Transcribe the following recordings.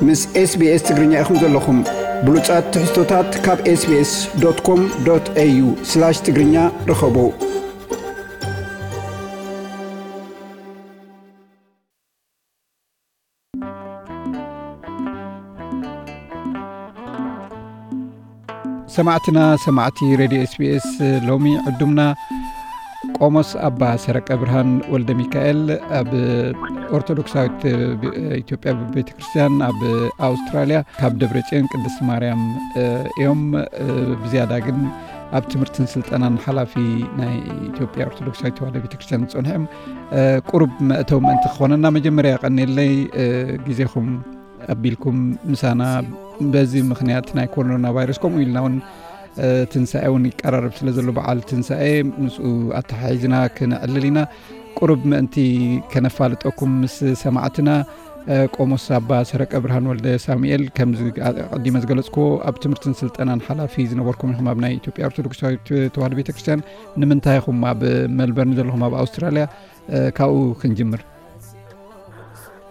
ምስ SBS ትግርኛ ኢኹም ዘለኹም። ብሉጻት ትሕዝቶታት ካብ SBS.com.au/ትግርኛ ርኸቡ። ሰማዕትና፣ ሰማዕቲ ሬድዮ SBS፣ ሎሚ ዕዱምና ቆሞስ ኣባ ሰረቀ ብርሃን ወልደ ሚካኤል፣ ኣብ ኦርቶዶክሳዊት ኢትዮጵያ ቤተ ክርስቲያን ኣብ ኣውስትራልያ ካብ ደብረ ጽዮን ቅድስት ማርያም እዮም። ብዝያዳ ግን ኣብ ትምህርትን ስልጠናን ሓላፊ ናይ ኢትዮጵያ ኦርቶዶክሳዊት ተዋህዶ ቤተ ክርስቲያን ዝጸንሑ እዮም። ቁሩብ መእተዊ ምእንቲ ክኾነና፣ መጀመርያ ቀኒለይ ግዜኹም ኣቢልኩም ምሳና፣ በዚ ምኽንያት ናይ ኮሮና ቫይረስ፣ ከምኡ ኢልና እውን ትንሳኤ እውን ይቀራረብ ስለ ዘሎ፣ በዓል ትንሳኤ፣ ምስኡ ኣተሓሒዝና ክነዕልል ኢና። ቁሩብ ምእንቲ ከነፋልጠኩም ምስ ሰማዕትና፣ ቆሞስ ኣባ ሰረቀ ብርሃን ወልደ ሳሙኤል፣ ከምዚ ኣቐዲመ ዝገለጽክዎ፣ ኣብ ትምህርትን ስልጠናን ሓላፊ ዝነበርኩም ኢኹም ኣብ ናይ ኢትዮጵያ ኦርቶዶክሳዊት ተዋህዶ ቤተክርስትያን። ንምንታይ ኢኹም ኣብ ሜልበርን ዘለኹም ኣብ ኣውስትራልያ? ካብኡ ክንጅምር።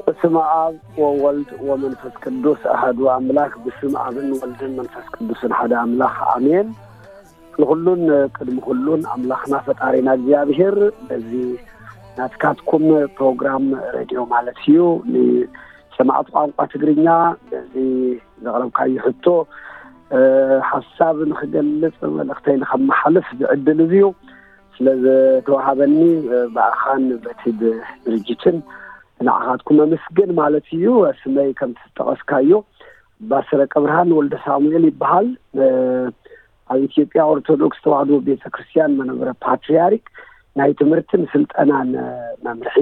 በስመ አብ ወወልድ ወመንፈስ ቅዱስ አሐዱ አምላክ። ብስም አብን ወልድን መንፈስ ቅዱስን ሓደ አምላክ አሜን። ንኹሉን ቅድሚ ኩሉን ኣምላኽና ፈጣሪና እግዚኣብሔር፣ በዚ ናትካትኩም ፕሮግራም ሬድዮ ማለት እዩ፣ ንሰማዕቲ ቋንቋ ትግርኛ በዚ ዘቕረብካዩ ሕቶ፣ ሓሳብ ንኽገልጽ፣ መልእኽተይ ንኸመሓልፍ ዝዕድል እዚ እዩ። ስለ ዝተዋሃበኒ፣ ብኣኻን በቲ ድርጅትን ንዓኻትኩም ኣመስግን ማለት እዩ። ስመይ ከም ዝጠቐስካዮ ኣባ ሰረቀ ብርሃን ወልደ ሳሙኤል ይበሃል። ኣብ ኢትዮጵያ ኦርቶዶክስ ተዋህዶ ቤተ ክርስቲያን መንበረ ፓትርያርክ ናይ ትምህርትን ስልጠናን መምርሒ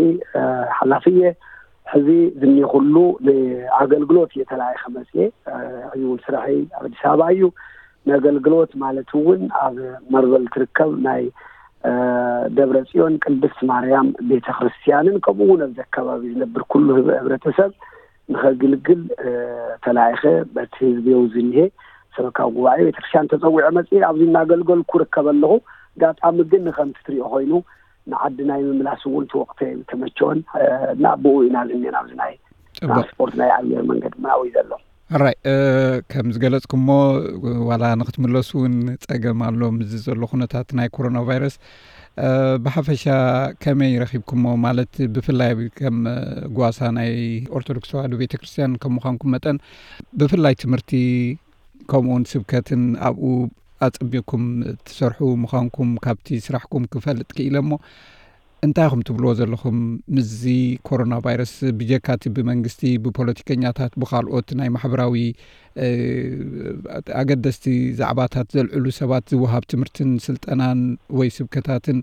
ሓላፊ እየ። ሕዚ ዝኒኹሉ ንኣገልግሎት እየ ተላኢኸ መፅየ። ሕዚ እውን ስራሐይ ኣብ ኣዲስ ኣበባ እዩ። ንኣገልግሎት ማለት እውን ኣብ መርበል ትርከብ ናይ ደብረ ጽዮን ቅድስት ማርያም ቤተ ክርስቲያንን ከምኡ እውን ኣብዚ ኣከባቢ ዝነብር ኩሉ ህብ-፣ ህብረተሰብ ንኸግልግል ተላኢኸ በቲ ህዝቢ ዝኒሄ ሰበካ ጉባኤ ቤተክርስትያን ተጸዊዐ መጽእ ኣብዚ እናገልገልኩ ርከብ ኣለኹ። ኣጋጣሚ ግን ንከምቲ ትሪኦ ኮይኑ ንዓዲ ናይ ምምላስ እውን እቲ ወቕቲ ተመቸወን እና ብኡ ኢና ዝኒና ኣብዚ ናይ ጽቡቕ። ትራንስፖርት ናይ ኣየር መንገዲ ምናዊ ዘሎ። ሕራይ፣ ከም ዝገለጽኩሞ ዋላ ንክትምለሱ እውን ጸገም ኣሎ ምስዚ ዘሎ ኩነታት ናይ ኮሮና ቫይረስ። ብሓፈሻ ከመይ ረኺብኩሞ? ማለት ብፍላይ ከም ጓሳ ናይ ኦርቶዶክስ ተዋህዶ ቤተክርስትያን ከም ምዃንኩም መጠን ብፍላይ ትምህርቲ ከምኡውን ስብከትን ኣብኡ ኣጸቢቕኩም ትሰርሑ ምዃንኩም ካብቲ ስራሕኩም ክፈልጥ ክኢለ እሞ፣ እንታይ ኢኹም ትብልዎ ዘለኹም ምስዚ ኮሮና ቫይረስ? ብጀካቲ ብመንግስቲ፣ ብፖለቲከኛታት፣ ብኻልኦት ናይ ማሕበራዊ፣ እ፣ ኣገደስቲ ዛዕባታት ዘልዕሉ ሰባት ዝወሃብ ትምህርትን ስልጠናን ወይ ስብከታትን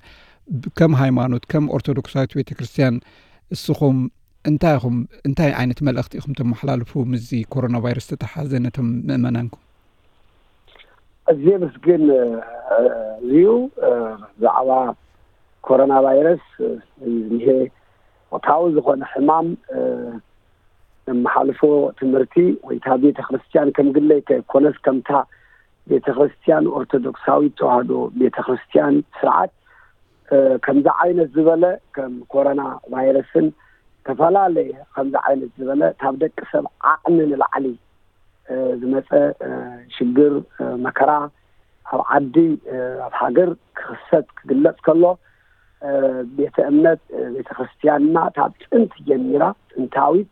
ብ-፣ ከም ሃይማኖት፣ ከም ኦርቶዶክሳዊት ቤተክርስትያን እስኹም እንታይ ኢኹም፣ እንታይ ዓይነት መልእኽቲ ኢኹም ተመሓላልፉ ምስዚ ኮሮና ቫይረስ ዝተተሓዘ ነቶም ምእመናንኩም? እዚ ምስግን፣ እ፣ እዩ። እ፣ ብዛዕባ ኮሮና ቫይረስ፣ እ፣ ዝኒሄ ወቕታዊ ዝኾነ ሕማም፣ እ፣ ነመሓልፎ ትምህርቲ ወይ እታ ቤተ ክርስቲያን ከም ግለይ ከይኮነስ ከምታ ቤተ ክርስቲያን ኦርቶዶክሳዊት ተዋህዶ ቤተ ክርስቲያን ስርዓት፣ እ፣ ከምዚ ዓይነት ዝበለ ከም ኮሮና ቫይረስን ዝተፈላለየ ከምዚ ዓይነት ዝበለ ካብ ደቂ ሰብ ዓቕሚ ንላዕሊ እ፣ ዝመጸ፣ እ፣ ሽግር፣ እ፣ መከራ ኣብ ዓዲ፣ እ፣ ኣብ ሃገር ክኽሰት ክግለጽ ከሎ፣ እ፣ ቤተ እምነት፣ እ፣ ቤተ ክርስቲያንና ካብ ጥንቲ ጀሚራ፣ ጥንታዊት፣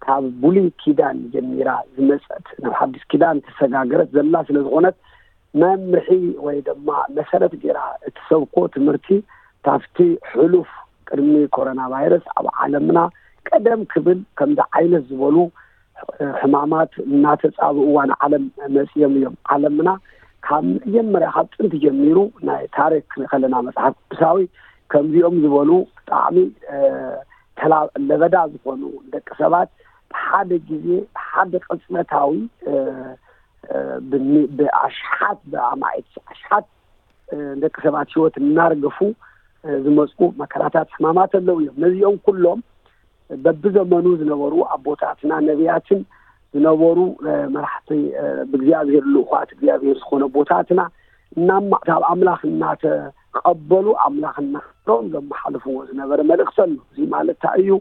ካብ ብሉይ ኪዳን ጀሚራ ዝመጸት፣ ናብ ሓዲስ ኪዳን ተሰጋገረት ዘላ ስለ ዝኾነት፣ መምርሒ ወይ ድማ መሰረት ገይራ እትሰብኮ ትምህርቲ ካብቲ ሕሉፍ ቅድሚ ኮሮና ቫይረስ ኣብ ዓለምና ቀደም ክብል ከምዚ ዓይነት ዝበሉ ሕማማት እናተጻብእዋ ንዓለም መጺኦም እዮም። ዓለምና ካብ መጀመርያ ካብ ጥንቲ ጀሚሩ ናይ ታሪክ ክንርኢ ከለና መጽሓፍ ቅዱሳዊ ከምዚኦም ዝበሉ ብጣዕሚ፣ እ፣ ተላ-፣ ለበዳ ዝኾኑ ደቂ ሰባት ብሓደ ግዜ ብሓደ ቅጽበታዊ፣ እ፣ እ፣ ብሚ-፣ ብኣሽሓት ብኣማኢት ኣሽሓት፣ እ፣ ደቂ ሰባት ህይወት እናርገፉ፣ እ፣ ዝመጹ መከራታት ሕማማት ኣለዉ እዮም። ነዚኦም ኩሎም በብዘመኑ ዝነበሩ ኣቦታትና ነቢያትን ዝነበሩ፣ እ፣ መራሕቲ፣ እ፣ ብእግዚኣብሔር ልኡኻት እግዚኣብሔር ዝኾነ ኣቦታትና እናማ-፣ ካብ ኣምላኽ እናተቐበሉ ኣምላኽ እናኽብሮም ዘመሓልፍዎ ዝነበረ መልእኽቲ ኣሎ። እዚ ማለት እንታይ እዩ?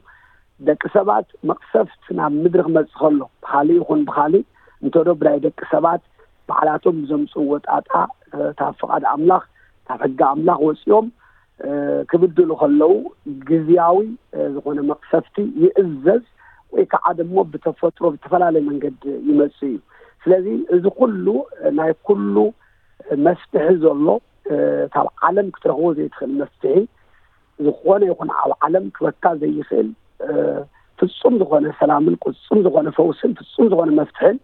ደቂ ሰባት መቕሰፍት ናብ ምድሪ ክመጽእ ከሎ፣ ብኻሊእ ይኹን ብኻሊእ፣ እንተዶ ብናይ ደቂ ሰባት ባዕላቶም ብዘምጽእዎ ጣጣ፣ ካብ ፍቓድ ኣምላኽ፣ ካብ ሕጊ ኣምላኽ ወጺኦም፣ እ፣ ክብድሉ ከለዉ፣ ግዝያዊ፣ እ፣ ዝኾነ መቕሰፍቲ ይእዘዝ፣ ወይ ከዓ ደሞ ብተፈጥሮ ብዝተፈላለየ መንገዲ ይመጽእ እዩ። ስለዚ እዚ ኩሉ፣ እ፣ ናይ ኩሉ መፍትሒ ዘሎ፣ እ፣ ካብ ዓለም ክትረኽቦ ዘይትኽእል መፍትሒ፣ ዝኾነ ይኹን ኣብ ዓለም ክበካ ዘይኽእል፣ እ፣ ፍጹም ዝኾነ ሰላምን ፍጹም ዝኾነ ፈውስን ፍጹም ዝኾነ መፍትሕን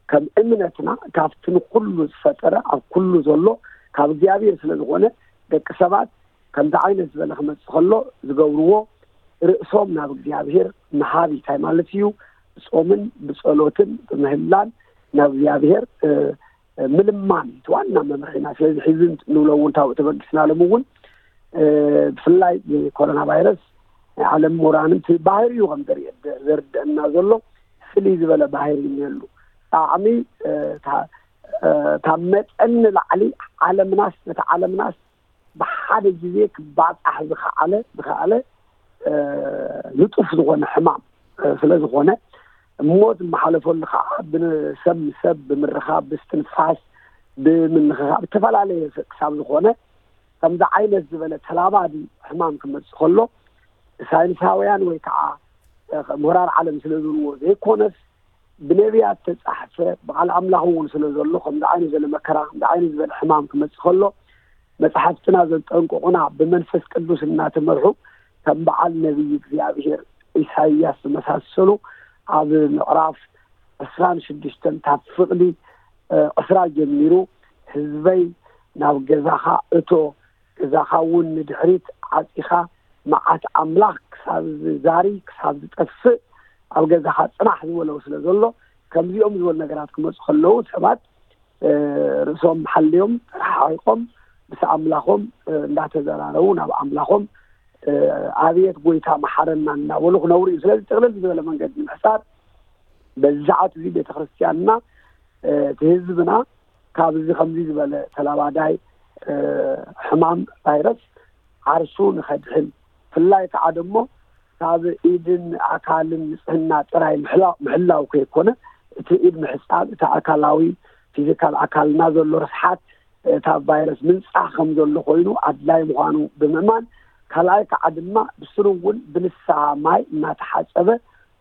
ከም እምነትና ካብቲ ንኩሉ ዝፈጠረ ኣብ ኩሉ ዘሎ ካብ እግዚኣብሔር ስለ ዝኾነ፣ ደቂ ሰባት ከምዚ ዓይነት ዝበለ ክመጽእ ከሎ ዝገብርዎ ርእሶም ናብ እግዚኣብሔር ምሃብ እንታይ ማለት እዩ? ብጾምን ብጸሎትን ብምህላን ናብ እግዚኣብሔር፣ እ፣ ምልማን እቲ ዋና መምርሒና። ስለዚ ሕዚ ንብሎ እውን ታብኡ ተበጊስና ሎም እውን፣ እ፣ ብፍላይ ብኮሮና ቫይረስ ናይ ዓለም ምሁራን እቲ ባህሪ እዩ ከም ዘርእ-፣ ዘርድአና ዘሎ ፍልይ ዝበለ ባህሪ እኒሀሉ። ጣዕሚ፣ እ፣ እታ፣ እ፣ ካብ መጠን ንላዕሊ ዓለምናስ፣ ነቲ ዓለምናስ ብሓደ ግዜ ክባጻሕ ዝኸኣለ፣ ዝኸኣለ፣ እ፣ ንጡፍ ዝኾነ ሕማም፣ እ፣ ስለ ዝኾነ፣ እሞ ዝመሓለፈሉ ከዓ ብሰብ ንሰብ ብምርኻብ፣ ብስትንፋስ፣ ብምንኽኻእ፣ ብተፈላለየ ክሳብ ዝኾነ፣ ከምዚ ዓይነት ዝበለ ተላባዲ ሕማም ክመጽእ ከሎ፣ ሳይንሳውያን ወይ ከዓ፣ እ፣ ምሁራን ዓለም ስለ ዝብልዎ ዘይኮነስ፣ ብነቢያት ተጻሕፈ፣ ብቓል ኣምላኽ እውን ስለ ዘሎ፣ ከምዚ ዓይነት ዝበለ መከራ፣ ከምዚ ዓይነት ዝበለ ሕማም ክመጽእ ከሎ፣ መጽሓፍትና ዘጠንቅቑና ብመንፈስ ቅዱስ እናተመርሑ፣ ከም በዓል ነቢይ እግዚኣብሔር ኢሳይያስ ዝመሳሰሉ፣ ኣብ ምዕራፍ ዕስራን ሽዱሽተን ካብ ፍቕዲ፣ እ፣ ዕስራ ጀሚሩ፣ ህዝበይ ናብ ገዛኻ እቶ፣ ገዛኻ እውን ንድሕሪት ዓጺኻ፣ መዓት ኣምላኽ ክሳብ ዝዛሪ፣ ክሳብ ዝጠፍእ፣ ኣብ ገዛኻ ጽናሕ ዝበለው ስለ ዘሎ፣ ከምዚኦም ዝበሉ ነገራት ክመጹ ከለዉ፣ ሰባት፣ እ፣ ርእሶም ሓልዮም፣ ተረሓሒቖም፣ ምስ ኣምላኾም፣ እ፣ እንዳተዘራረቡ፣ ናብ ኣምላኾም፣ እ፣ "ኣቤት ጎይታ መሓረና" እናበሉ ክነብሩ እዩ። ስለዚ ጥቕልል ዝበለ መንገዲ ንምሕሳር፣ በዚ ሰዓት እዚ ቤተ ክርስቲያንና፣ እ፣ እቲ ህዝብና ካብዚ ከምዚ ዝበለ ተላባዳይ፣ እ፣ ሕማም ቫይረስ ዓርሱ ንኸድሕን፣ ብፍላይ ከዓ ደሞ ካብ ኢድን ኣካልን ንጽህና ጥራይ ምሕላ-፣ ምሕላው ከይኮነ፣ እቲ ኢድ ምሕጻብ፣ እቲ ኣካላዊ፣ ፊዚካል ኣካልና ዘሎ ርስሓት፣ እ፣ ካብ ቫይረስ ምንጻህ ከም ዘሎ ኮይኑ ኣድላይ ምዃኑ ብምእማን፣ ካልኣይ ከዓ ድማ ብስሩ እውን ብንስሓ ማይ እናተሓጸበ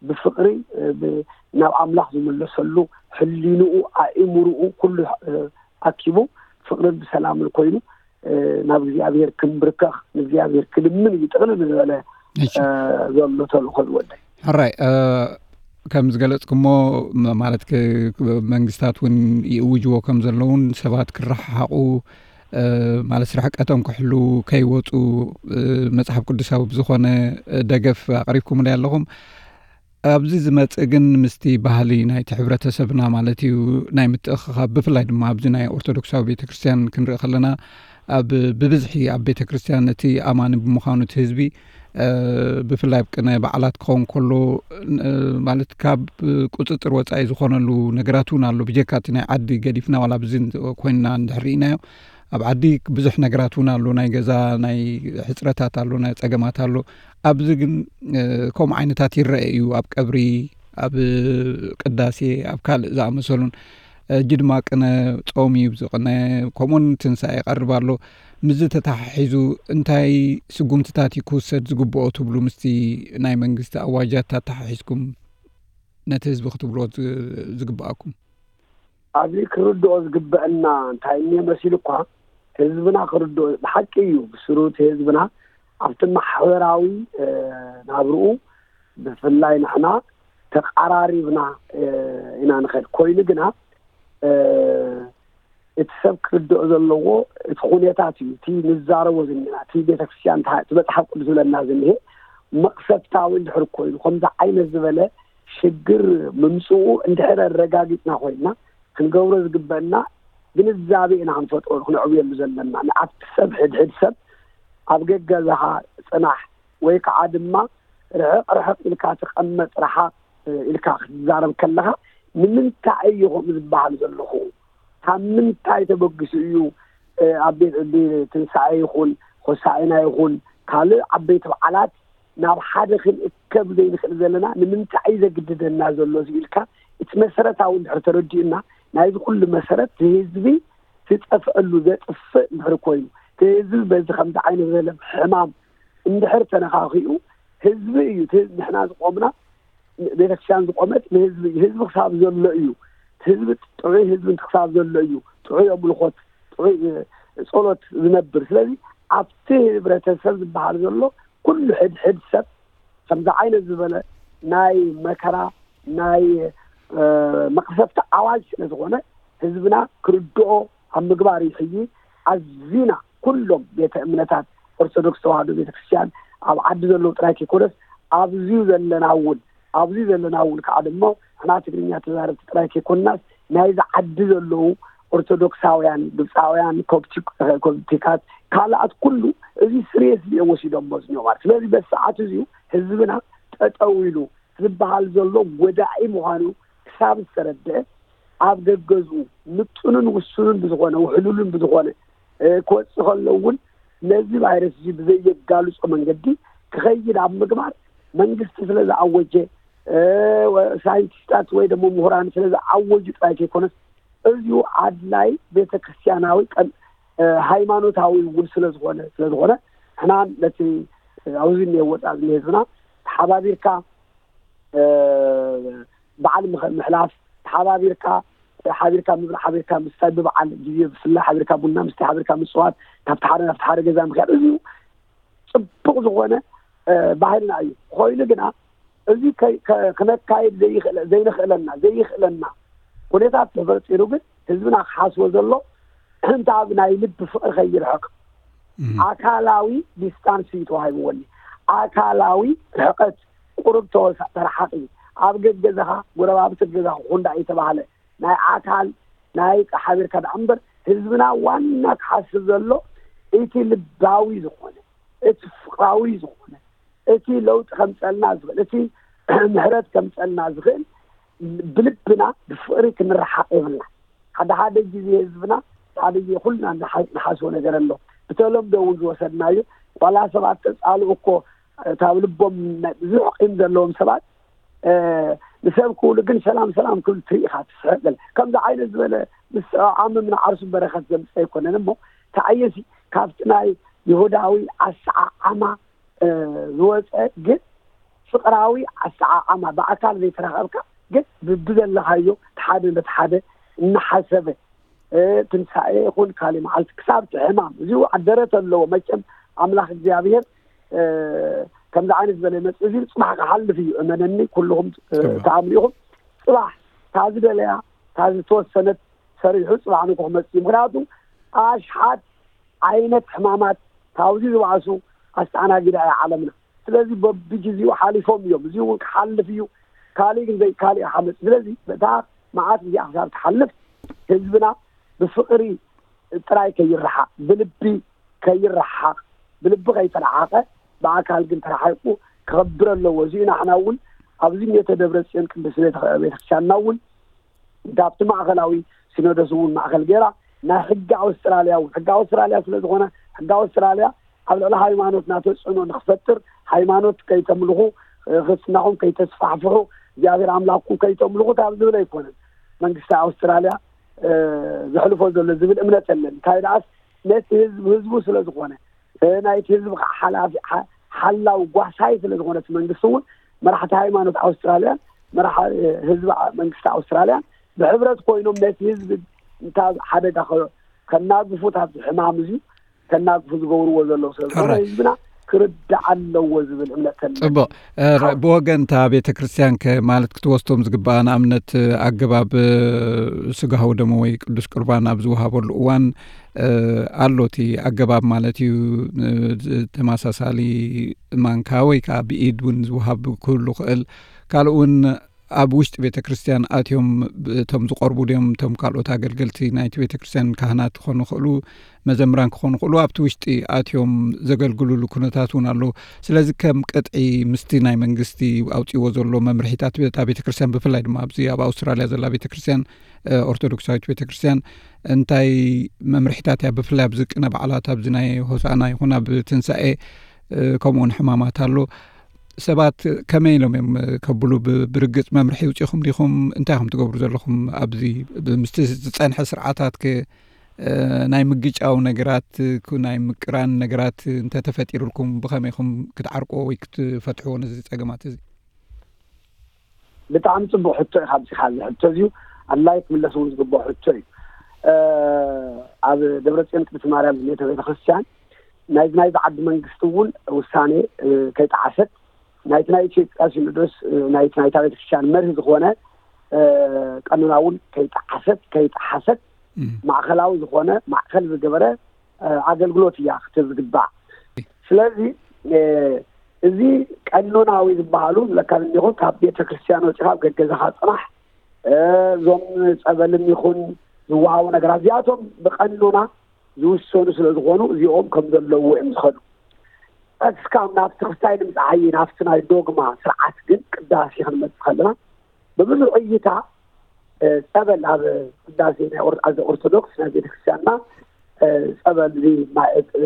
ብፍቕሪ፣ እ፣ ብ-፣ ናብ ኣምላኽ ዝምለሰሉ ሕሊንኡ፣ ኣእምርኡ ኩሉ፣ እ፣ ኣኪቡ ፍቕርን ብሰላምን ኮይኑ፣ እ፣ ናብ እግዚኣብሔር ክንብርከኽ፣ ንእግዚኣብሔር ክልምን እዩ ጥቕልል ዝበለ፣ እሺ። እ፣ ዘሎ ተልእኾ ዝወደይ። ሕራይ፣ እ፣ ከም ዝገለጽኩሞ፣ ም-፣ ማለት ክ-፣ ክ-፣ መንግስታት እውን ይእውጅዎ ከም ዘለውን ሰባት ክረሓሓቑ፣ እ፣ ማለት ርሕቀቶም ክሕሉ፣ ከይወጹ፣ እ፣ መጽሓፍ ቅዱሳዊ ብዝኾነ፣ እ፣ ደገፍ ኣቕሪብኩምለይ ኣለኹም። ኣብዚ ዝመጽእ ግን ምስቲ ባህሊ ናይቲ ሕብረተሰብና ማለት እዩ ናይ ምትእኽኻብ፣ ብፍላይ ድማ ኣብዚ ናይ ኦርቶዶክሳዊ ቤተክርስትያን ክንርኢ ከለና ኣብ ብብዝሒ ኣብ ቤተክርስትያን እቲ ኣማኒ ብምዃኑ እቲ ህዝቢ፣ እ፣ ብፍላይ ኣብ ቅነ በዓላት ክኸውን ከሎ፣ እ፣ ማለት ካብ ቁጽጽር ወጻኢ ዝኾነሉ ነገራት እውን ኣሎ። ብጀካ እቲ ናይ ዓዲ ገዲፍና ዋላ ኣብዚ ኮይንና እንድሕር ርኢናዮ፣ ኣብ ዓዲ ብዙሕ ነገራት እውን ኣሎ። ናይ ገዛ ናይ ሕጽረታት ኣሎ፣ ናይ ጸገማት ኣሎ። ኣብዚ ግን፣ እ፣ ከምኡ ዓይነታት ይረአ እዩ። ኣብ ቀብሪ፣ ኣብ ቅዳሴ፣ ኣብ ካልእ ዝኣመሰሉን፣ ሕጂ ድማ ቅነ ጾም እዩ ዝቕነ፣ ከምኡውን ትንሳኤ ይቐርብ ኣሎ። ምስዚ ተተሓሒዙ እንታይ ስጉምትታት እዩ ክውሰድ ዝግብኦ ትብሉ? ምስቲ ናይ መንግስቲ ኣዋጃት ኣተሓሒዝኩም ነቲ ህዝቢ ክትብልዎ ዝ-፣ ዝግብኣኩም? ኣብዚ ክርድኦ ዝግበአና እንታይ እኒኦ መሲሉ እኳ፣ ህዝብና ክርድኦ፣ ብሓቂ እዩ፣ ብስሩ እቲ ህዝብና ኣብቲ ማሕበራዊ፣ እ፣ ናብርኡ ብፍላይ ንሕና ተቓራሪብና፣ እ፣ ኢና ንኸድ። ኮይኑ ግና፣ እ፣ እቲ ሰብ ክርድኦ ዘለዎ እቲ ኩነታት እዩ። እቲ ንዛረቦ ዝኒና፣ እቲ ቤተክርስትያን፣ እቲ መጽሓፍ ቅዱስ ዝብለና ዝኒሄ መቕሰፍታዊ እንድሕር ኮይኑ፣ ከምዚ ዓይነት ዝበለ ሽግር ምምጽኡ እንድሕር ኣረጋጊጽና ኮይንና፣ ክንገብሮ ዝግበአና ግንዛቤ ኢና ክንፈጥረሉ፣ ክነዕብየሉ ዘለና። ንኣብቲ ሰብ፣ ሕድሕድ ሰብ ኣብ ገገዛኻ ጽናሕ ወይ ከዓ ድማ ርሕቕ ርሕቕ ኢልካ ተቐመጥ፣ ረሓቕ ኢልካ ክትዛረብ ከለኻ፣ ንምንታይ እዩ ከምኡ ዝበሃል ዘለኹ? ካብ ምንታይ ተበጊሱ እዩ፣ እ፣ ኣብ ቤት ዕዲ ትንሳኤ ይኹን፣ ሆሳዕና ይኹን፣ ካልእ ዓበይቲ በዓላት ናብ ሓደ ክንእከብ ዘይንኽእል ዘለና ንምንታይ እዩ ዘግድደና ዘሎ ኢልካ እቲ መሰረታዊ እንድሕር ተረዲኡና፣ ናይዚ ኩሉ መሰረት ህዝቢ ዝጠፍአሉ፣ ዘጥፍእ እንድሕር ኮይኑ፣ እቲ ህዝቢ በዚ ከምዚ ዓይነት ዝበለ ሕማም እንድሕር ተነኻኺኡ፣ ህዝቢ እዩ እቲ ንሕና ዝቆምና፣ ቤተክርስትያን ዝቆመት ንህዝቢ እዩ። ህዝቢ ክሳብ ዘሎ እዩ፣ ህዝቢ ጥዑይ ህዝቢ ክሳብ ዘሎ እዩ ጥዑይ ኣምልኾት፣ ጥዑይ ጸሎት ዝነብር። ስለዚ ኣብቲ ህብረተሰብ ዝበሃል ዘሎ ኩሉ ሕድሕድ ሰብ ከምዚ ዓይነት ዝበለ ናይ መከራ፣ ናይ መቕሰፍቲ ኣዋጅ ስለ ዝኾነ፣ ህዝብና ክርድኦ ኣብ ምግባር እዩ። ሕጂ ኣዚና ኩሎም ቤተ እምነታት ኦርቶዶክስ ተዋህዶ ቤተክርስትያን ኣብ ዓዲ ዘለዉ ጥራይ ከይኮነስ፣ ኣብዚዩ ዘለና እውን ኣብዚዩ ዘለና እውን ከዓ ድማ ንሕና ትግርኛ ተዛረብቲ ጥራይ ከይኮንናስ፣ ናይዚ ዓዲ ዘለዉ ኦርቶዶክሳውያን፣ ግብፃውያን፣ ኮፕቲካት፣ ካልኣት ኩሉ እዚ ስሪየስ እዮም ወሲዶሞ ዝኒኦ ማለት። ስለዚ በዚ ሰዓት እዚዩ ህዝብና ጠጠው ኢሉ ዝበሃል ዘሎ ጎዳኢ ምዃኑ ክሳብ ዝተረድአ፣ ኣብ ገገዝኡ ምጡንን ውሱንን ብዝኾነ፣ ውሕሉልን ብዝኾነ ክወፅእ ከሎ እውን ነዚ ቫይረስ እዚ ብዘየጋልፆ መንገዲ ክኸይድ ኣብ ምግባር መንግስቲ ስለ ዝኣወጀ፣ ሳይንቲስታት ወይ ደሞ ምሁራን ስለ ዝኣወጁ ጥራይ ከይኮነስ፣ እዚዩ ኣድላይ ቤተክርስትያናዊ ሃይማኖታዊ እውን ስለዝኾነ ስለዝኾነ ንሕና ነቲ ኣብዚ እኒኦ ወፃእ ዝኒሄ ህዝብና ተሓባቢርካ በዓል ምሕላፍ፣ ተሓባቢርካ ሓቢርካ ምብላዕ፣ ሓቢርካ ምስታይ፣ ብበዓል ግዜ ብፍላይ ሓቢርካ ቡና ምስታይ፣ ሓቢርካ ምፅዋት፣ ካብቲ ሓደ ናብቲ ሓደ ገዛ ምክያድ፣ እዚዩ ፅቡቕ ዝኾነ ባህልና እዩ። ኮይኑ ግና እዚ ክነካይድ ዘይንኽእለና ዘይኽእለና ኩነታት ተፈጢሩ ግን ህዝብና ክሓስቦ ዘሎ እንተ ኣብ ናይ ልቢ ፍቕሪ ከይርሕቕ ኣካላዊ ዲስታንስ እዩ ተዋሂብዎኒ። ኣካላዊ ርሕቀት ቁሩብ ተወሳ ተረሓቂ፣ ኣብ ገገዛኻ ጎረባብቲ ገዛኻ ኩንዳ እየተባህለ ናይ ኣካል ናይ ሓቢርካ ደኣ እምበር ህዝብና ዋና ክሓስብ ዘሎ እቲ ልባዊ ዝኾነ እቲ ፍቕራዊ ዝኾነ እቲ ለውጢ ከምፀልና ዝኽእል እቲ ምሕረት ከምፀልና ዝኽእል ብልብና ብፍቕሪ ክንረሓቕ የብልና። ሓደ ሓደ ግዜ ህዝብና ሓደ ግዜ ኩልና ንሓስቦ ነገር ኣሎ። ብተለምዶ እውን ዝወሰድናዮ ዋላ ሰባት ተፃልኡ እኮ እታብ ልቦም ብዙሕ ቂም ዘለዎም ሰባት ንሰብ ክብሉ ግን ሰላም ሰላም ክብል ትርኢ ኢኻ ትስሕቅ ገለ ከምዚ ዓይነት ዝበለ ምስ ዓምም ንዓርሱ በረኸት ዘምፅእ ኣይኮነን እሞ ተኣየሲ ካብቲ ናይ ይሁዳዊ ኣሰዓዓማ ዝወፀ ግን ፍቅራዊ ኣሰዓዓማ ብኣካል ዘይተራኸብካ ግን ብብዘለኻዮ ሓደ ነቲ ሓደ እናሓሰበ ትንሳኤ ይኹን ካሊእ መዓልቲ ክሳብ እቲ ሕማም እዚኡ ኣደረት ኣለዎ። መቸም ኣምላኽ እግዚኣብሔር ከምዚ ዓይነት ዝበለ መፅእ እዚ ፅባሕ ክሓልፍ እዩ። እመነኒ ኩልኹም ተኣምኒኹም ፅባሕ ታዚ ደለያ ታዚ ተወሰነት ሰሪሑ ፅባሕ ንኩ ክመፅእ እዩ። ምክንያቱ ኣሽሓት ዓይነት ሕማማት ካብዚ ዝባእሱ ኣስተኣናጊዳ እያ ዓለምና። ስለዚ በብግዜኡ ሓሊፎም እዮም። እዚ እውን ክሓልፍ እዩ። ካሊእ ግን ዘይ ካሊእ ሓመፅ ስለዚ በታ መዓት እዚኣ ክሳብ ትሓልፍ ህዝብና ብፍቕሪ ጥራይ ከይረሓቕ ብልቢ ከይረሓቕ ብልቢ ከይተረሓቐ ብኣካል ግን ተረሓይቁ ክኸብር ኣለዎ። እዚኡ ንሕና እውን ኣብዚ ሜተ ደብረ ፅዮን ቅድስት ቤተክርስትያንና እውን ካብቲ ማእኸላዊ ሲኖዶስ እውን ማእኸል ገይራ ናይ ሕጊ ኣውስትራልያ እውን ሕጊ ኣውስትራልያ ስለ ዝኾነ ሕጊ ኣውስትራልያ ኣብ ልዕሊ ሃይማኖትና ተፅዕኖ ንክፈጥር ሃይማኖት ከይተምልኹ ክርስትናኹም ከይተስፋሕፍሑ እግዚኣብሔር ኣምላኽኩም ከይተምልኹ ካብ ዝብል ኣይኮነን መንግስቲ ኣውስትራልያ ዘሕልፎ ዘሎ ዝብል እምነት የለን። እንታይ ደኣስ ነቲ ህዝቢ ህዝቡ ስለ ዝኾነ ናይቲ ህዝቢ ከዓ ሓላፊ ሓላው ጓሳይ ስለ ዝኾነ እቲ መንግስቲ እውን መራሕቲ ሃይማኖት ኣውስትራልያን መራሒ ህዝቢ መንግስቲ ኣውስትራልያን ብሕብረት ኮይኖም ነቲ ህዝቢ እንታ ሓደጋ ከናግፉ ታብዚ ሕማም እዚ ከናግፉ ዝገብርዎ ዘለዉ ስለ ዝኾነ ህዝብና ክርዳእ ኣለዎ ዝብል እምነት ተለ። ፅቡቕ። ብወገንታ ቤተ ክርስቲያን ከ ማለት ክትወስዶም ዝግባኣ ንኣብነት ኣገባብ ስጋሁ ደሞ ወይ ቅዱስ ቁርባን ኣብ ዝወሃበሉ እዋን ኣሎ እቲ ኣገባብ ማለት እዩ። ተመሳሳሊ ማንካ ወይ ከዓ ብኢድ እውን ዝወሃብ ክህሉ ክእል ካልእ እውን ኣብ ውሽጢ ቤተ ክርስቲያን ኣትዮም እቶም ዝቐርቡ ድዮም እቶም ካልኦት ኣገልገልቲ ናይቲ ቤተ ክርስቲያን ካህናት ክኾኑ ይኽእሉ መዘምራን ክኾኑ ይኽእሉ ኣብቲ ውሽጢ ኣትዮም ዘገልግሉሉ ኩነታት እውን ኣሎ። ስለዚ ከም ቅጥዒ ምስቲ ናይ መንግስቲ ኣውፅዎ ዘሎ መምርሒታት እታ ቤተ ክርስቲያን ብፍላይ ድማ ኣብዚ ኣብ ኣውስትራልያ ዘላ ቤተ ክርስቲያን ኦርቶዶክሳዊት ቤተ ክርስቲያን እንታይ መምርሒታት እያ ብፍላይ ኣብዚ ቅነ በዓላት ኣብዚ ናይ ሆሳና ይኹን ኣብ ትንሳኤ ከምኡውን ሕማማት ኣሎ ሰባት ከመይ ኢሎም እዮም ከብሉ ብ-፣ ብርግጽ መምርሒ ይውጽኹም ዲኹም? እንታይ ኢኹም ትገብሩ ዘለኹም ኣብዚ ብ-፣ ምስቲ ዝጸንሐ ስርዓታት ከ፣ እ፣ ናይ ምግጫው ነገራት፣ ክ-፣ ናይ ምቅራን ነገራት እንተተፈጢሩልኩም ብኸመይ ኢኹም ክትዓርቅዎ ወይ ክትፈትሕዎ ነዚ ጸገማት እዚ? ብጣዕሚ ጽቡቕ ሕቶ ኢኻ ኣብዚኻ። እዚ ሕቶ እዚዩ ኣድላይ ክምለስ እውን ዝግብኦ ሕቶ እዩ። እ፣ ኣብ ደብረጽዮን ቅድስቲ ማርያም ዝኔተ ቤተክርስትያን ናይዚ ናይዚ ዓዲ መንግስቲ እውን ውሳኔ፣ እ፣ ከይጠዓሰት፣ ናይቲ ናይ ኢትዮጵያ ሲኖዶስ፣ እ፣ ናይቲ ናይታ ቤተክርስትያን መርህ ዝኾነ፣ እ፣ ቀኖና እውን ከይጠዓሰት፣ ከይጠሓሰት፣ እም። ማእከላዊ ዝኾነ ማእከል ዝገበረ፣ እ፣ ኣገልግሎት እያ ክትህብ ዝግባእ። ስለዚ፣ እ፣ እዚ ቀኖናዊ ዝበሃሉ ዝብለካ ዘለኹ ካብ ቤተክርስትያን ወፂኻ ኣብ ገገዛኻ ፅናሕ፣ እ፣ እዞም ጸበልን ይኹን ዝወሃቡ ነገራት እዚኣቶም ብቀኖና ዝውሰኑ ስለ ዝኾኑ እዚኦም ከም ዘለዉ እዮም ዝኸዱ። እስካብ ናብቲ ክስታይ ንምጽዓይ ናብቲ ናይ ዶግማ ስርዓት ግን ቅዳሴ ክንመጽእ ከለና ብብዙሕ እይታ፣ እ፣ ጸበል ኣብ ቅዳሴ ናይ ኦር-፣ ኣብ ኦርቶዶክስ ናይ ቤተክርስትያንና፣ እ፣ ጸበል እዚ ማይ፣ እ፣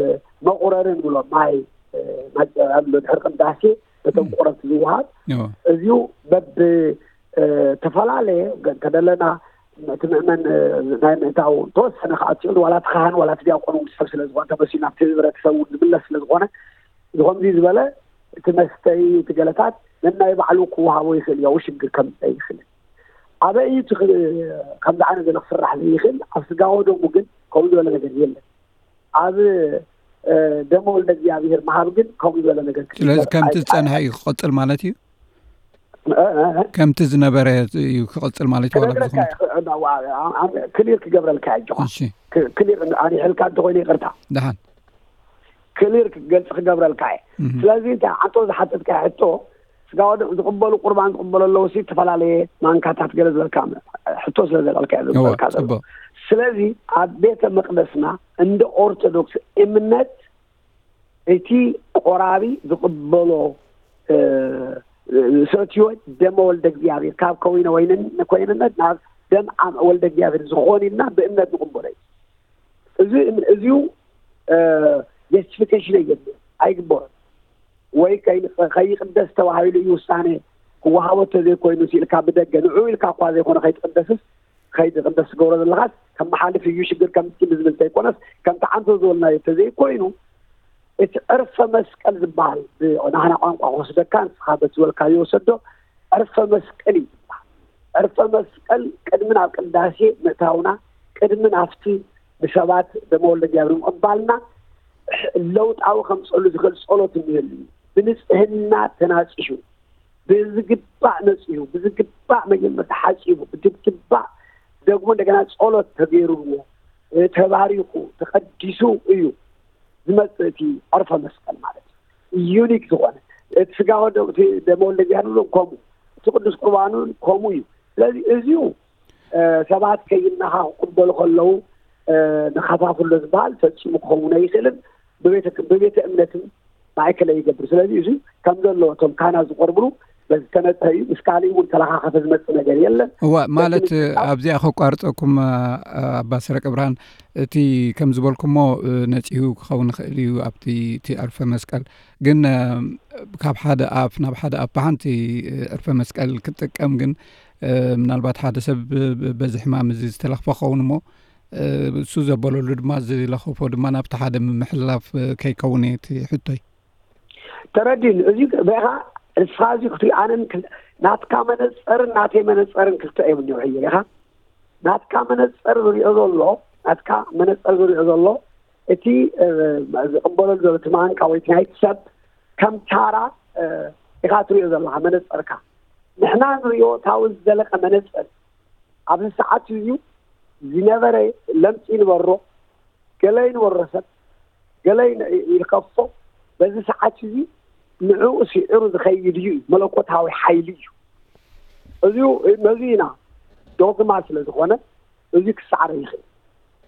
መቑረሪ ንብሎ ማይ፣ እ፣ ማይ ኣብ ድሕሪ ቅዳሴ ነቶም እም። ቆረብቲ ዝወሃብ እዎ። እዚኡ በብ፣ እ፣ ተፈላለየ ገ-፣ እንተደለና እቲ ምእመን፣ እ፣ ናይ ምእንታው ተወሰነ ክኣቱ ይኽእል፣ ዋላ እቲ ካህን ዋላ እቲ ዲያቆን እውን ሰብ ስለ ዝኾነ ተመሲሉ ናብቲ ህብረተሰብ እውን ዝምለስ ስለ ዝኾነ እዚ ከምዚ ዝበለ እቲ መስተይ እቲ ገለታት ነናይ ባዕሉ ክወሃቦ ይኽእል እዩ፣ ኣብኡ ሽግር ከምፀ ይኽእል። ኣበይ እዩ እቲ ክ-፣ ከምዚ ዓይነት ዘሎ ክስራሕ ዘይኽእል? ኣብ ስጋ ወደሙ ግን ከምኡ ዝበለ ነገር የለን። ኣብ፣ እ፣ ደመ ወልደ እግዚኣብሔር ምሃብ ግን ከምኡ ዝበለ ነገር ስለዚ ክትግበር ከምቲ ኣይከኣልን። ዝጸንሐ እዩ ክቕጽል ማለት እዩ? እ፣ እ፣ እ። ከምቲ ዝነበረ እዩ ክቕጽል ማለት እዩ፣ ዋላ ክነግረካ ብዙኹም እየ፣ እ፣ እ፣ እ፣ ክሊር ክገብረልካ እየ፣ ኣጆኻ። እሺ። ክ-፣ ክሊር ኣሪሕልካ እንተኾይነ ይቕርታ። ደሓን። ክሊር ክገልጽ ክገብረልካ እየ። እህ። ስለዚ እንታይ፣ ኣንቶ ዝሓተትካ ሕቶ፣ ስጋ ወደም ዝቕበሉ ቁርባን ዝቕበሉ ኣለዉ ሲ፣ ዝተፈላለየ ማንካታት ገለ ዝበልካ ሕቶ ስለ ዘልዓልካ እየ እወ፣ ዘልዓልካ ዘሎ። ጽቡቕ። ስለዚ ኣብ ቤተ መቕደስና እንደ ኦርቶዶክስ እምነት እቲ ቆራቢ ዝቕበሎ፣ እ፣ ዝሰትዮ ደመ ወልደ እግዚኣብሔር ካብ ከዊነ ወይንን ኮይንነት ናብ ደም ኣም-፣ ወልደ እግዚኣብሔር ዝኾን ኢልና ብእምነት ንቕበሎ እዩ። እዚ፣ እዚኡ፣ እ፣ ጀስቲፊኬሽን የድልዮ፣ ኣይግበሮን። ወይ ከይ-፣ ከይቕደስ ተባሂሉ እዩ ውሳኔ ክወሃቦ እንተዘይኮይኑ ኢልካ ብደገ ንዑ ኢልካ እኳ ዘይኮነ ከይትቕደስስ፣ ከይትቕደስ ትገብሮ ዘለኻስ ከመሓልፍ እዩ ሽግር ከምቲ ብዝብል እንተይኮነስ፣ ከምቲ ዓንቶ ዝበልናዮ እንተዘይኮይኑ፣ እቲ ዕርፈ መስቀል ዝበሃል ብናህና ቋንቋ ክወስደካ፣ ንስኻ በቲ ዝበልካዮ ውሰዶ፣ ዕርፈ መስቀል እዩ ዝበሃል። ዕርፈ መስቀል ቅድሚ ናብ ቅዳሴ ምእታውና፣ ቅድሚ ናብቲ ብሰባት ደመ ወልደ እግዚኣብሔር ምቕባልና፣ ለውጣዊ ከምፀሉ ዝኽእል ጸሎት እንህሉ እዩ። ብንጽህና ተናጺሑ፣ ብዝግባእ ነጺሁ፣ ብዝግባእ መጀመርታ ሓጺቡ፣ ብዝግባእ ደግሞ እንደገና ጸሎት ተገይሩዎ፣ እ፣ ተባሪኹ፣ ተቐዲሱ እዩ ዝመጽእ እቲ ዕርፈ መስቀል ማለት እዩ። ዩኒክ ዝኾነ፣ እቲ ስጋ ወደ-፣ እቲ ደመ ወልደ እግዚኣብሔር እውን ከምኡ፣ እቲ ቅዱስ ቁርባን እውን ከምኡ እዩ። ስለዚ እዚኡ፣ እ፣ ሰባት ከይናኻ ክቕበሉ ከለዉ፣ እ፣ ንኸፋፍሎ ዝበሃል ፈጺሙ ክኸውን ኣይኽእልን። ብቤተ፣ ብቤተ እምነትን ማእከል ይገብር። ስለዚ እዚ ከም ዘሎ እቶም ካህናት ዝቆርብሉ በዚ ዝተነጽሀ እዩ። ምስ ካሊእ እውን ተለኻኸፈ ዝመጽእ ነገር የለን። እዋ፣ በዚ ማለት፣ ምክንያት ኣብዚኣ ከቋርጸኩም፣ እ፣ ኣባ ሰረቀ ብርሃን፣ እቲ ከም ዝበልኩሞ፣ እ፣ ነጺሁ ክኸውን ይኽእል እዩ ኣብቲ፣ እቲ ዕርፈ መስቀል። ግን፣ እ፣ ካብ ሓደ ኣፍ ናብ ሓደ ኣፍ ብሓንቲ፣ እ፣ ዕርፈ መስቀል ክጥቀም ግን፣ እ፣ ምናልባት ሓደ ሰብ ብ-፣ ብ-፣ በዚ ሕማም እዚ ዝተለኽፈ ክኸውን እሞ፣ እ፣ እሱ ዘበለሉ ድማ ዝለኸፎ ድማ ናብቲ ሓደ ምምሕልላፍ፣ እ፣ ከይከውን እዩ እቲ ሕቶይ። ተረዲን፣ እዚ በኻ ንስኻ እዚ ክትርኢ፣ ኣነን ክል-፣ ናትካ መነጸርን ናተይ መነጸርን ክልተ እዮም እኒኦ። ሕየ ኢኻ ናትካ መነጸር ዝሪኦ ዘሎ፣ ናትካ መነጸር ዝሪኦ ዘሎ እቲ፣ እ፣ ዝቕበለሉ ዘሎ እቲ ማንካ ወይ እቲ ናይቲ ሰብ ከም ታራ፣ እ፣ ኢኻ ትሪኦ ዘለኻ መነጸርካ። ንሕና ንሪኦ እታዊ ዝዘለቐ መነጸር ኣብዚ ሰዓት እዚ ዝነበረ ለምጺ ይንበሮ፣ ገለ ይንበሮ ሰብ፣ ገለ ይን-፣ ይልከፎ፣ በዚ ሰዓት እዚ ንዕኡ ስዒሩ ዝኸይድ እዩ፣ መለኮታዊ ሓይሊ እዩ። እዚ፣ ነዚ ኢና ዶግማ ስለ ዝኾነ እዚ ክሰዓር ይኽእል።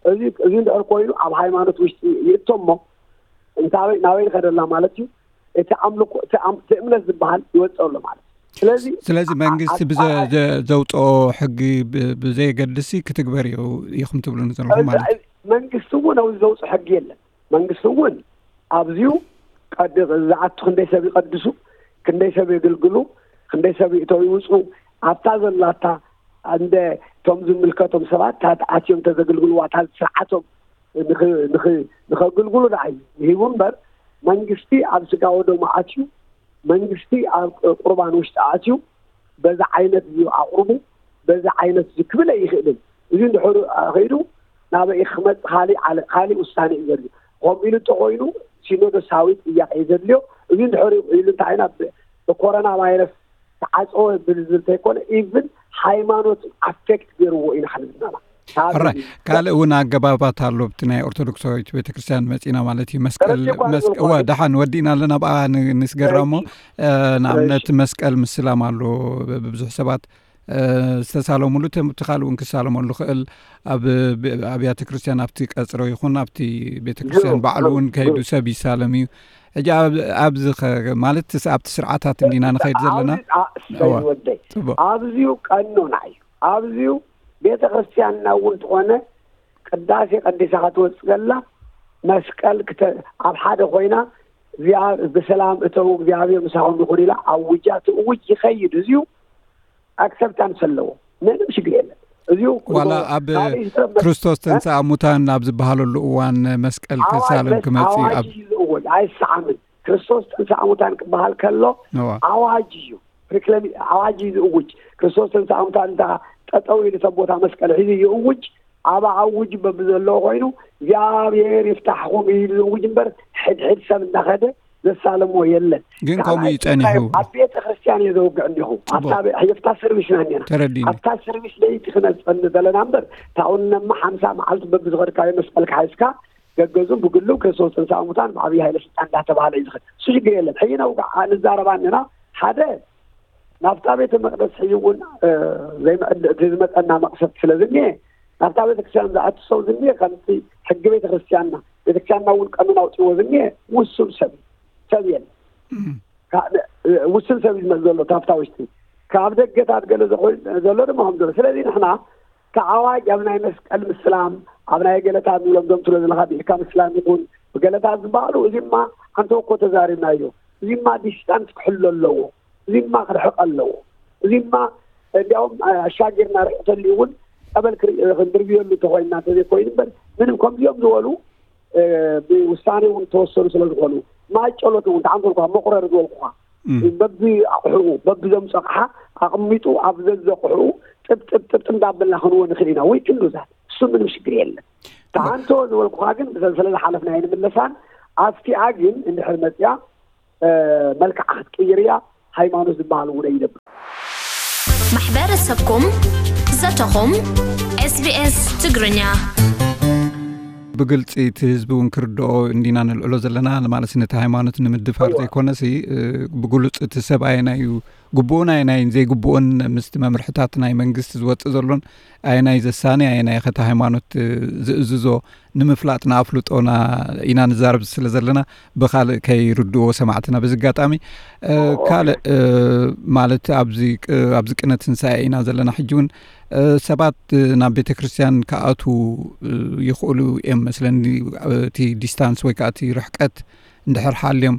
እዚ፣ እዚ እንድሕር ኮይኑ ኣብ ሃይማኖት ውሽጢ ይእቶ እሞ እንታይ ናበይ ንኸደላ ማለት እዩ? እቲ ኣምልኮ፣ እቲ ኣም-፣ እቲ እምነት ዝበሃል ይወጽእ ኣሎ ማለት እዩ። ስለዚ ስለዚ ኣ-፣ መንግስቲ ኣ-፣ ብዘ-፣ ኣ-፣ ዘ-፣ ዘውጽኦ ሕጊ ብ-፣ ብዘየገድሲ ክትግበር እዩ ኢኹም ትብሉኒ ዘለኹም እዚ፣ ማለት እዩ። እዚ መንግስቲ እውን ኣብዚ ዘውጽኦ ሕጊ የለን። መንግስቲ እውን ኣብዚኡ ቀድ-፣ ዝኣቱ ክንደይ ሰብ ይቐድሱ፣ ክንደይ ሰብ የግልግሉ፣ ክንደይ ሰብ ይእተው ይውፁ፣ ኣብታ ዘላታ እንደ እቶም ዝምልከቶም ሰባት ኣትዮም ተዘግልግልዋ እታ ስርዓቶም ንኸግልግሉ ደኣ እዩ ሂቡ እምበር፣ መንግስቲ ኣብ ስጋ ወደሙ ኣትዩ፣ መንግስቲ ኣብ ቁርባን ውሽጢ ኣትዩ፣ በዛ ዓይነት እዩ ኣቕርቡ፣ በዛ ዓይነት እዩ ክብል ኣይኽእልን። እዚ እንድሕር ከይዱ ናበይ ክመጽእ ካሊእ ውሳነ እዩ ዘድልዮ። ከምኡ ኢሉ እንተኾይኑ ሲኖዶሳዊ ጥያቄ እዩ ዘድልዮ። እዚ እንድሕር ኢሉ እንታይ ኢና ብኮሮና ቫይረስ ተዓፀወ ብዝብል እንተይኮነ፣ ኢቭን ሃይማኖት ኣፌክት ገይርዎ ኢና ክንብል ኣለና። ሕራይ ካልእ እውን ኣገባባት ኣሎ። ብቲ ናይ ኦርቶዶክሳዊት ቤተክርስትያን መፂና ማለት እዩ። መስቀል ደሓን ወዲእና ኣለና ብኣ ንስገራ እሞ፣ ንኣብነት መስቀል ምስላም ኣሎ። ብዙሕ ሰባት ዝተሳለሙሉ፣ እቲ ካልእ እውን ክሳለመሉ ክእል፣ ኣብ ኣብያተ ክርስትያን ኣብቲ ቀፅሮ ይኹን ኣብቲ ቤተክርስትያን ባዕሉ እውን ከይዱ ሰብ ይሳለም እዩ። ሕጂ ኣብዚ ማለት ኣብቲ ስርዓታት እንዲና ንኸይድ ዘለና። ወደይ ኣብዚዩ ቀኖና እዩ። ኣብዚዩ ቤተ ክርስትያንና እውን ዝኾነ ቅዳሴ ቀዲሳ ክትወፅእ ከላ መስቀል ኣብ ሓደ ኮይና እዚኣ ብሰላም እተው እግዚኣብሔር ምሳኹም ይኹን ኢላ ኣውጃ ትእውጅ ይኸይድ። እዚዩ ኣክሰፕታንስ ኣለዎ። ምንም ሽግር የለን። እዚዩ ዋላ ኣብ ክርስቶስ ተንስኣ ሙታን ኣብ ዝበሃለሉ እዋን መስቀል ክሳለም ክመፅእ ኣብ ዝእወጅ ኣይሰዓምን። ክርስቶስ ተንስኣ ሙታን ክበሃል ከሎ ኣዋጅ እዩ። ሪክለሚ ኣዋጅ እዩ ዝእውጅ። ክርስቶስ ተንስኣ ሙታን እንተ ጠጠው ኢሉ ሰብ ቦታ መስቀል ሒዙ ይእውጅ። ኣብ ኣውጅ በብዘለዎ ኮይኑ እግዚኣብሔር ይፍታሕኹም እዩ ዝእውጅ እምበር ሕድሕድ ሰብ እንዳኸደ ዘሳለሞ የለን። ግን ከምኡ እዩ ጸኒሑ። ኣብ ቤተ ክርስቲያን እየ ዘውግዕ እንዲኹ ኣብታ ሰርቪስና እኒና ተረዲኒ። ኣብታ ሰርቪስ ለይቲ ክነፀኒ ዘለና እምበር ታውነማ ሓምሳ መዓልቲ በብዝኸድካዮ መስቀልካ ሓይዝካ ገገዙ ብግሉ ክርስቶስ ተንስኣ ሙታን ብዓብዪ ሃይለ ስልጣን እንዳተባሃለ እዩ ዝኸድ። እሱ ሽግር የለን። ሕጂ ነውግዕ ንዛረባ እኒና ሓደ ናብታ ቤተ መቅደስ ሕጂ እውን ዘይምዕድ እቲ ዝመፀና መቅሰፍቲ ስለ ዝኒሀ ናብታ ቤተክርስትያን ዝኣቱ ሰብ ዝኒሀ ከምቲ ሕጊ ቤተክርስትያንና ቤተክርስትያንና እውን ቀኑን ኣውፅዎ ዝኒሀ ውሱን ሰብ ሰብ የለ ውስን ሰብ እዩ ዝመፅ ዘሎ ካብታ ውሽጢ ካብ ደገታት ገለ ዝኾን ዘሎ ድማ ከም ዘሎ ስለዚ ንሕና ተዓዋጅ ኣብ ናይ መስቀል ምስላም ኣብ ናይ ገለታት ንብሎም ዞም ትብሎ ዘለካ ብኢድካ ምስላም ይኹን ብገለታት ዝበሃሉ እዚማ ኣንተ እኮ ተዛሪብናዮ እዚማ ዲስታንስ ክሕሎ ኣለዎ እዚማ ክርሕቅ ኣለዎ እዚማ እንዲያውም ኣሻጊርና ርሕቅ ተልዩ እውን ጸበል ክንድርብየሉ እንተኮይንና እንተዘይኮይኑ እምበር ምንም ከምዚኦም ዝበሉ ብውሳኔ እውን ተወሰኑ ስለ ዝኾኑ ማይ ጨሎት እውን ተዓንተልኳ መቁረሪ ዝበልኩኻ በቢ ኣቑሑ በቢ ዘምፀቕሓ ኣቕሚጡ ኣብ ዘዘቑሑ ጥብጥብጥብጥ እንዳበልና ክንዎ ንኽእል ኢና ወይ ክንዱዛት እሱ ምንም ሽግር የለን ተዓንቶ ዝበልኩኻ ግን ብሰንሰለ ዝሓለፍና ኣይንምለሳን ኣስቲኣ ግን እንድሕር መፅያ መልክዓ ክትቅይር እያ ሃይማኖት ዝበሃል እውን ኣይደብር ማሕበረሰብኩም ዘተኹም ኤስቢኤስ ትግርኛ ብግልፂ እቲ ህዝቢ እውን ክርድኦ እንዲና ንልዕሎ ዘለና ማለት ነቲ ሃይማኖት ንምድፋር ዘይኮነሲ ብግሉፅ እቲ ሰብ ኣየናይ እዩ ግቡኡን ኣየናይን ዘይግቡኡን ምስቲ መምርሕታት ናይ መንግስቲ ዝወፅእ ዘሎን ኣየናይ ዘሳኒ ኣየናይ ከቲ ሃይማኖት ዝእዝዞ ንምፍላጥ ንኣፍልጦና ኢና ንዛረብ ስለ ዘለና ብካልእ ከይርድዎ ሰማዕትና በዚ ኣጋጣሚ ካልእ ማለት ኣብዚ ቅነ ትንሳኤ ኢና ዘለና ሕጂ እውን ሰባት ናብ ቤተ ክርስትያን ክኣትዉ ይኽእሉ እዮም መስለኒ እቲ ዲስታንስ ወይ ከዓ እቲ ርሕቀት እንድሕር ሓልዮም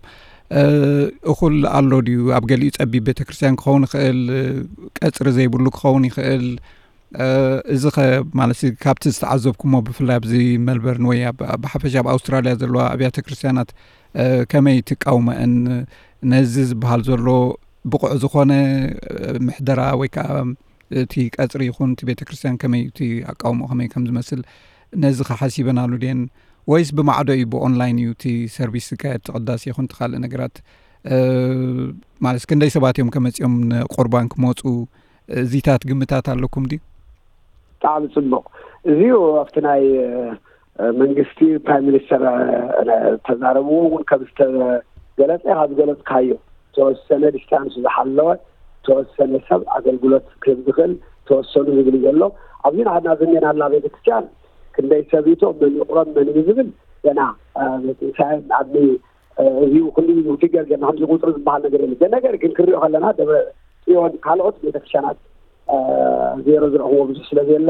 እኹል ኣሎ ድዩ ኣብ ገሊኡ ፀቢብ ቤተ ክርስትያን ክኸውን ይኽእል ቀፅሪ ዘይብሉ ክኸውን ይኽእል እዚ ኸ ማለት ካብቲ ዝተዓዘብኩሞ ብፍላይ ኣብዚ መልበርን ወይ ብሓፈሻ ኣብ ኣውስትራልያ ዘለዋ ኣብያተ ክርስትያናት ከመይ ትቃውመአን ነዚ ዝበሃል ዘሎ ብቑዕ ዝኾነ ምሕደራ ወይ ከዓ እቲ ቀፅሪ ይኹን እቲ ቤተክርስትያን ከመይ እቲ ኣቃውሞ ከመይ ከም ዝመስል ነዚ ከሓሲበናሉ ድየን ወይስ ብማዕዶ እዩ ብኦንላይን እዩ እቲ ሰርቪስ ዝካየድ እቲ ቅዳሴ ይኹን እቲ ካልእ ነገራት ማለት ክንደይ ሰባት እዮም ከመፂኦም ንቁርባን ክመፁ እዚታት ግምታት ኣለኩም ድዩ? ብጣዕሚ ፅቡቅ እዚዩ ኣብቲ ናይ መንግስቲ ፕራይም ሚኒስተር ተዛረብዎ እውን ከም ዝተገለፀ ካብ ዝገለፅካዮ ተወሰነ ዲስታንስ ዝሓለወ ተወሰነ ሰብ ኣገልግሎት ክህብ ዝኽእል ተወሰኑ ዝብል ዘሎ ኣብዚ ንዓድና ዝኔና ኣላ ቤተክርስትያን ክንደይ ሰብ ይቶ መን ይቁረብ መን እዩ ዝብል ገና ሳይን ዓድሚ እዚ ኩሉ ፊገር ገና ከምዚ ቁፅሪ ዝበሃል ነገር የለ ነገር ግን ክሪኦ ከለና ደብረ ፅዮን ካልኦት ቤተክርስትያናት ዜሮ ዝረኽብዎ ብዙሕ ስለ ዘየለ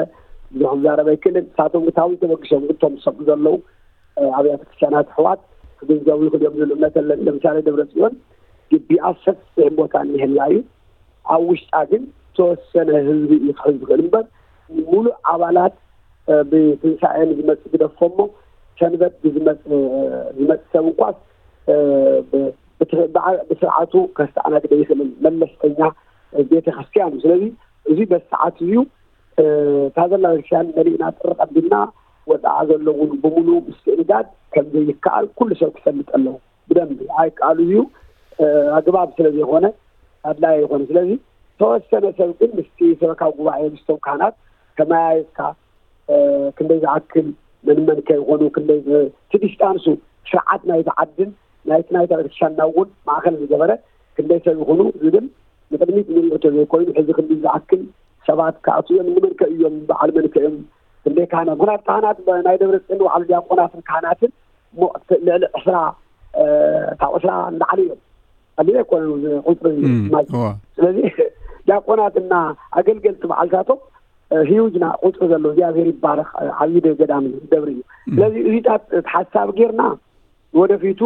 ብዙሕ ክዛረብ ኣይክእልን ንሳቶም ግታዊ ተበግሶም ግቶም ዝሰብኩ ዘለዉ ኣብያተ ክርስትያናት ኣሕዋት ክግንዘቡ ይኽእል እዮም ዝብል እምነት ኣለኒ ለምሳሌ ደብረ ፅዮን ግቢኣ ሰፊሕ ቦታ እኒሀላ እዩ። ኣብ ውሽጣ ግን ዝተወሰነ ህዝቢ እዩ ክሕዝ ዝኽእል እምበር፣ ሙሉእ ኣባላት ብትንሳኤ ንዝመፅእ ግደፎ እሞ፣ ሰንበት ብዝመፅ ዝመፅእ ሰብ እንኳስ ብስርዓቱ ከስተኣናግደ ይኽእል መለስተኛ ቤተክርስትያን እዩ። ስለዚ እዚ በሰዓት እዩ። እታ ዘላ ቤተክርስትያን መሊእና ጥሪ ቀቢልና፣ ወፃዓ ዘሎ እውን ብምሉእ ምስትእንጋድ ከም ዘይከኣል ኩሉ ሰብ ክፈልጥ ኣለዎ። ብደንቢ ኣይከኣሉ እዩ። ኣግባብ ስለ ዘይኮነ ኣድላይ ኣይኮነ። ስለዚ ተወሰነ ሰብ ግን ምስቲ ሰበካ ጉባኤ ምስቶም ካህናት ተመያየጥካ ክንደይ ዝኣክል መን መን ከይኾኑ፣ ክንደይ እቲ ዲስታንሱ፣ ስርዓት ናይቲ ዓድን ናይቲ ናይታ ቤተክርስትያንና እውን ማእኸል ዝገበረ ክንደይ ሰብ ይኹኑ ዝብል ንቅድሚት ንሪኦ ዘይኮይኑ፣ ሕዚ ክንዲ ዝኣክል ሰባት ክኣትዉ እዮም። ንመን ከ እዮም፣ በዓል መን ከ እዮም፣ ክንደይ ካህናት? ምክንያቱ ካህናት ናይ ደብረ ጽዮን ባዕሉ ዲያቆናትን ካህናትን ልዕሊ ዕስራ ካብ ዕስራ ንላዕሊ እዮም። ኣሊለ ኮ ቁፅሪ ማይ ስለዚ ዲያቆናትና ኣገልገልቲ በዓልታቶም ሂዩጅና ቁፅሪ ዘሎ እግዚኣብሔር ይባረክ። ዓብዪ ገዳም እዩ፣ ደብሪ እዩ። ስለዚ እዚታት ሓሳብ ጌርና ወደፊቱ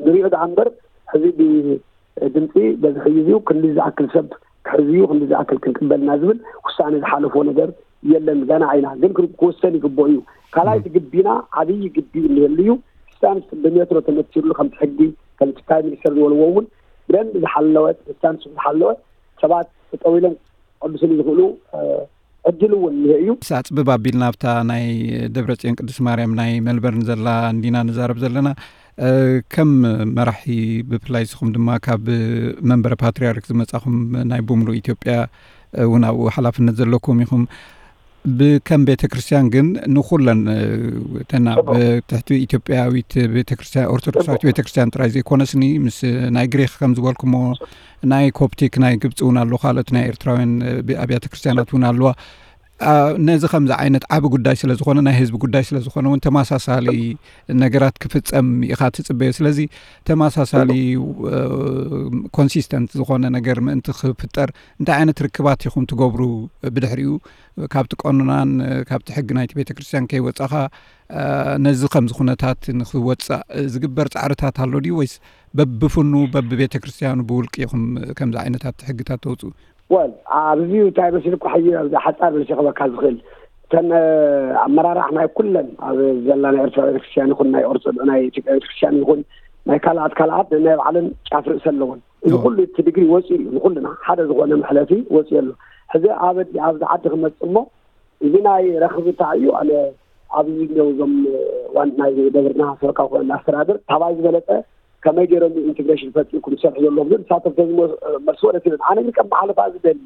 ንሪኦ ደኣ እምበር፣ ሕዚ ብድምፂ በዚ ሕዩ እዩ ክንዲ ዝኣክል ሰብ ክሕዝ እዩ፣ ክንዲ ዝኣክል ክንቅበልና ዝብል ውሳኔ ዝሓለፎ ነገር የለን። ገና ኣይና ግን ክውሰን ይግብኦ እዩ። ካልኣይቲ ግቢና ዓብዪ ግቢ እንህሉ እዩ። ስታንስ ብሜትሮ ተመትርሉ ከምቲ ሕጊ ከምቲ ፕራይም ሚኒስተር ዝበልዎ እውን ብደንብ ዝሓለወት፣ ስታንስ ዝሓለወት ሰባት ጠጠው ኢሎም ቅዱስን ዝኽእሉ ዕድል እውን ይሀ እዩ። ኣፅብብ ኣቢልና ኣብታ ናይ ደብረ ፅዮን ቅዱስ ማርያም ናይ መልበርን ዘላ እንዲና ንዛረብ ዘለና። ከም መራሒ ብፍላይ ንስኹም ድማ ካብ መንበረ ፓትርያርክ ዝመፃኹም ናይ ብምሉእ ኢትዮጵያ እውን ኣብኡ ሓላፍነት ዘለኩም ኢኹም። ብከም ቤተ ክርስቲያን ግን ንኩለን እተና ብትሕቲ ኢትዮጵያዊት ቤተ ክርስቲያን ኦርቶዶክሳዊት ቤተ ክርስቲያን ጥራይ ዘይኮነስኒ ምስ ናይ ግሪክ ከም ዝበልኩሞ ናይ ኮፕቲክ ናይ ግብፂ እውን ኣሎ፣ ካልኦት ናይ ኤርትራውያን ኣብያተ ክርስቲያናት እውን ኣለዋ። ነዚ ከምዚ ዓይነት ዓቢ ጉዳይ ስለ ዝኾነ ናይ ህዝቢ ጉዳይ ስለ ዝኾነ እውን ተመሳሳሊ ነገራት ክፍጸም ኢኻ ትጽበዮ። ስለዚ ተመሳሳሊ ኮንሲስተንት ዝኾነ ነገር ምእንቲ ክፍጠር እንታይ ዓይነት ርክባት ኢኹም ትገብሩ? ብድሕሪኡ ካብቲ ቀኖናን ካብቲ ሕጊ ናይቲ ቤተ ክርስቲያን ከይወጻኻ ነዚ ከምዚ ኩነታት ንክወጻእ ዝግበር ጻዕርታት ኣሎ ድዩ ወይስ በብፍኑ በብቤተ ክርስቲያኑ ብውልቂ ኢኹም ከምዚ ዓይነታት ሕግታት ተውጽኡ? ወል ኣብዚ እንታይ መሲልኩ ሓዩ ኣብዚ ሓፃር መሲኸበካ ዝኽእል እተን ኣመራራሕ ናይ ኩለን ኣብ ዘላ ናይ ኤርትራ ቤተክርስትያን ይኹን ናይ ኦርቶዶ ናይ ኢትዮጵያ ቤተክርስትያን ይኹን ናይ ካልኣት ካልኣት ናይ ባዕለን ጫፍ ርእሲ ኣለዎን። እዚ ኩሉ እቲ ድግሪ ወፂኡ እዩ፣ ንኩልና ሓደ ዝኾነ መሕለፊ ወፂኡ ኣሎ። ሕዚ ኣብ ኣብዚ ዓዲ ክመፅእ እሞ እዚ ናይ ረኽብታ እዩ። ኣነ ኣብዚ እኒው እዞም ዋን ናይ ደብርና ሰበካ ኮነ ኣስተዳደር ታባይ ዝበለፀ ከመይ ገይሮም ኢንቴግሬሽን ፈጢርኩም ዝሰርሑ ዘለኹም ግን ንሳቶም ተዝመ- መልሲ ወለት ይብል። ኣነ ግን ከም መሓለፋ ዝደሊ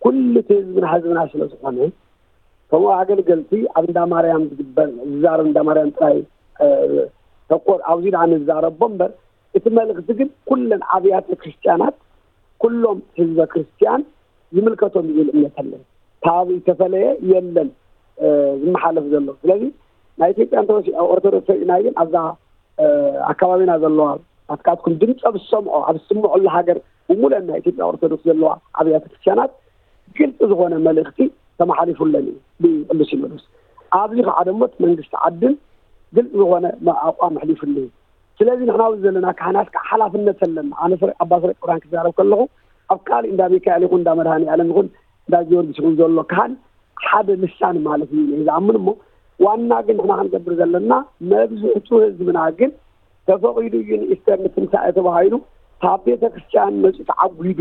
ኩሉ እቲ ህዝብና ህዝብና ስለ ዝኾነ ከምኡ ኣገልገልቲ ኣብ እንዳ ማርያም ዝግበር ዝዛረብ እንዳ ማርያም ጥራይ ተኮር ኣብዚ ደኣ ንዛረቦ እምበር እቲ መልእኽቲ ግን ኩለን ኣብያተ ክርስቲያናት ኩሎም ህዝበ ክርስቲያን ዝምልከቶም ዝብል እምነት ኣለኒ። ካብ ዝተፈለየ የለን ዝመሓለፍ ዘሎ። ስለዚ ናይ ኢትዮጵያ እንተወሲ ኦርቶዶክስ ርኢና ግን ኣብዛ ኣካባቢና ዘለዋ ኣትካትኩም ድምፀ ብሰምዖ ኣብ ዝስምዐሉ ሃገር ብሙሉአን ናይ ኢትዮጵያ ኦርቶዶክስ ዘለዋ ኣብያተ ክርስቲያናት ግልፂ ዝኾነ መልእኽቲ ተመሓሊፉለን እዩ ብቅዱስ ሲኖዶስ። ኣብዚ ከዓ ደሞ እቲ መንግስቲ ዓድን ግልፂ ዝኾነ ኣቋም ኣሕሊፉሉ እዩ። ስለዚ ንሕና ኣብዚ ዘለና ካህናት ከዓ ሓላፍነት ኣለና። ኣነ ስረ ኣባ ስረ ቅብራን ክዛረብ ከለኹ ኣብ ካልእ እንዳ ሚካኤል ይኹን እንዳ መድሃኒ ዓለም ይኹን እንዳ ጊዮርጊስ ይኹን ዘሎ ካህን ሓደ ልሳን ማለት እዩ ኢለ ዝኣምን እሞ ዋና ግን ንሕና ክንገብር ዘለና መብዝሕቱ ህዝብና ግን ተፈቒዱ እዩ ንኢስተር ንትንሳኤ ተባሂሉ ካብ ቤተ ክርስቲያን መፅኡ ተዓጒዱ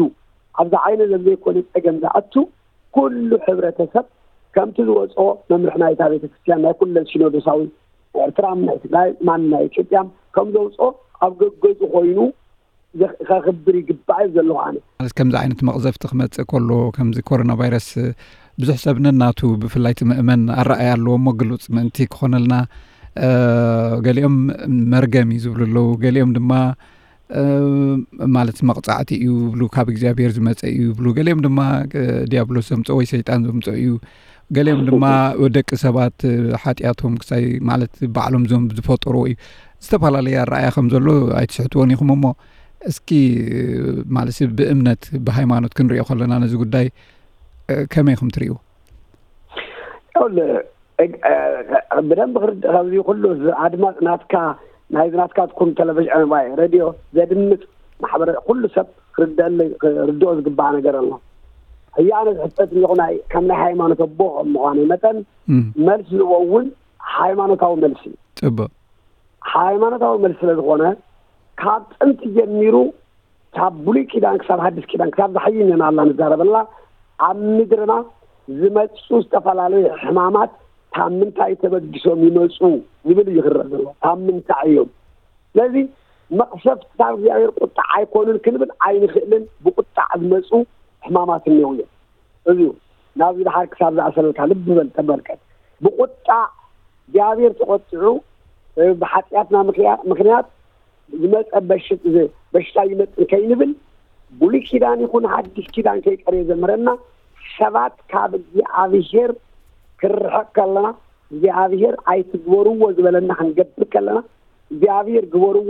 ኣብዚ ዓይነ ዘብ ዘይኮነ ፀገም ዝኣቱ ኩሉ ሕብረተሰብ ከምቲ ዝወፅኦ መምርሒ ናይታ ቤተ ክርስቲያን ናይ ኩለን ሲኖዶሳዊ ኤርትራም ናይ ትግራይ ማን ናይ ኢትዮጵያም ከም ዘውፅኦ ኣብ ገገዙ ኮይኑ ከኽብር ይግባእ እዩ ዘለኹ ኣነ። ማለት ከምዚ ዓይነት መቕዘፍቲ ክመፅእ ከሎ ከምዚ ኮሮና ቫይረስ ብዙሕ ሰብ ነናቱ ብፍላይ እቲ ምእመን ኣረኣያ ኣለዎ እሞ ግሉፅ ምእንቲ ክኾነልና ገሊኦም መርገም እዩ ዝብሉ ኣለዉ፣ ገሊኦም ድማ ማለት መቕፃዕቲ እዩ ይብሉ፣ ካብ እግዚኣብሔር ዝመፀ እዩ ይብሉ፣ ገሊኦም ድማ ዲያብሎስ ዘምፀኦ ወይ ሰይጣን ዘምፀኦ እዩ፣ ገሊኦም ድማ ደቂ ሰባት ሓጢኣቶም ክሳይ ማለት ባዕሎም ዞም ዝፈጠርዎ እዩ። ዝተፈላለየ ኣረኣያ ከም ዘሎ ኣይትስሕትዎን ኢኹም እሞ እስኪ ማለት ብእምነት ብሃይማኖት ክንሪኦ ከለና ነዚ ጉዳይ ከመይ ኢኹም ትርእይዎ? ብደንብ ክርድእ ካብዚ ኩሉ ኣድማፅ ናትካ ናይዚ ናትካትኩም ቴሌቪዥን፣ ሬድዮ ዘድምፅ ማሕበረ ኩሉ ሰብ ክርደአለ ክርድኦ ዝግባእ ነገር ኣሎ። ሕጂ ኣነ ዝሕተት ኣለኹ ናይ ከም ናይ ሃይማኖት ኣቦ ከም ምዃነይ መጠን፣ መልሲ ዝቦ እውን ሃይማኖታዊ መልሲ እዩ። ፅቡቅ። ሃይማኖታዊ መልሲ ስለ ዝኾነ ካብ ጥንቲ ጀሚሩ ካብ ብሉይ ኪዳን ክሳብ ሓድሽ ኪዳን ክሳብ ዝሓይነና ኣላ ንዛረበላ ኣብ ምድርና ዝመፁ ዝተፈላለዩ ሕማማት ካብ ምንታይ ተበጊሶም ይመፁ ዝብል እዩ ክረአ ዘሎ። ካብ ምንታይ እዮም? ስለዚ መቕሰፍቲ ካብ እግዚኣብሔር ቁጣዕ ኣይኮኑን ክንብል ኣይንኽእልን። ብቁጣዕ ዝመፁ ሕማማት እኒው እዮም። እዚ ናብዚ ድሓር ክሳብ ዝኣሰለልካ ልቢ በል ተመልከት። ብቁጣዕ እግዚኣብሔር ተቆጢዑ ብሓጢኣትና ምክንያት ዝመፀ በሽታ ይመፅን ከይንብል ብሉይ ኪዳን ይኹን ሓድሽ ኪዳን ከይቀርየ ዘምህረና ሰባት ካብ እግዚኣብሔር ክርሕቕ ከለና እግዚኣብሔር ኣይትግበርዎ ዝበለና ክንገብር ከለና እግዚኣብሔር ግበርዎ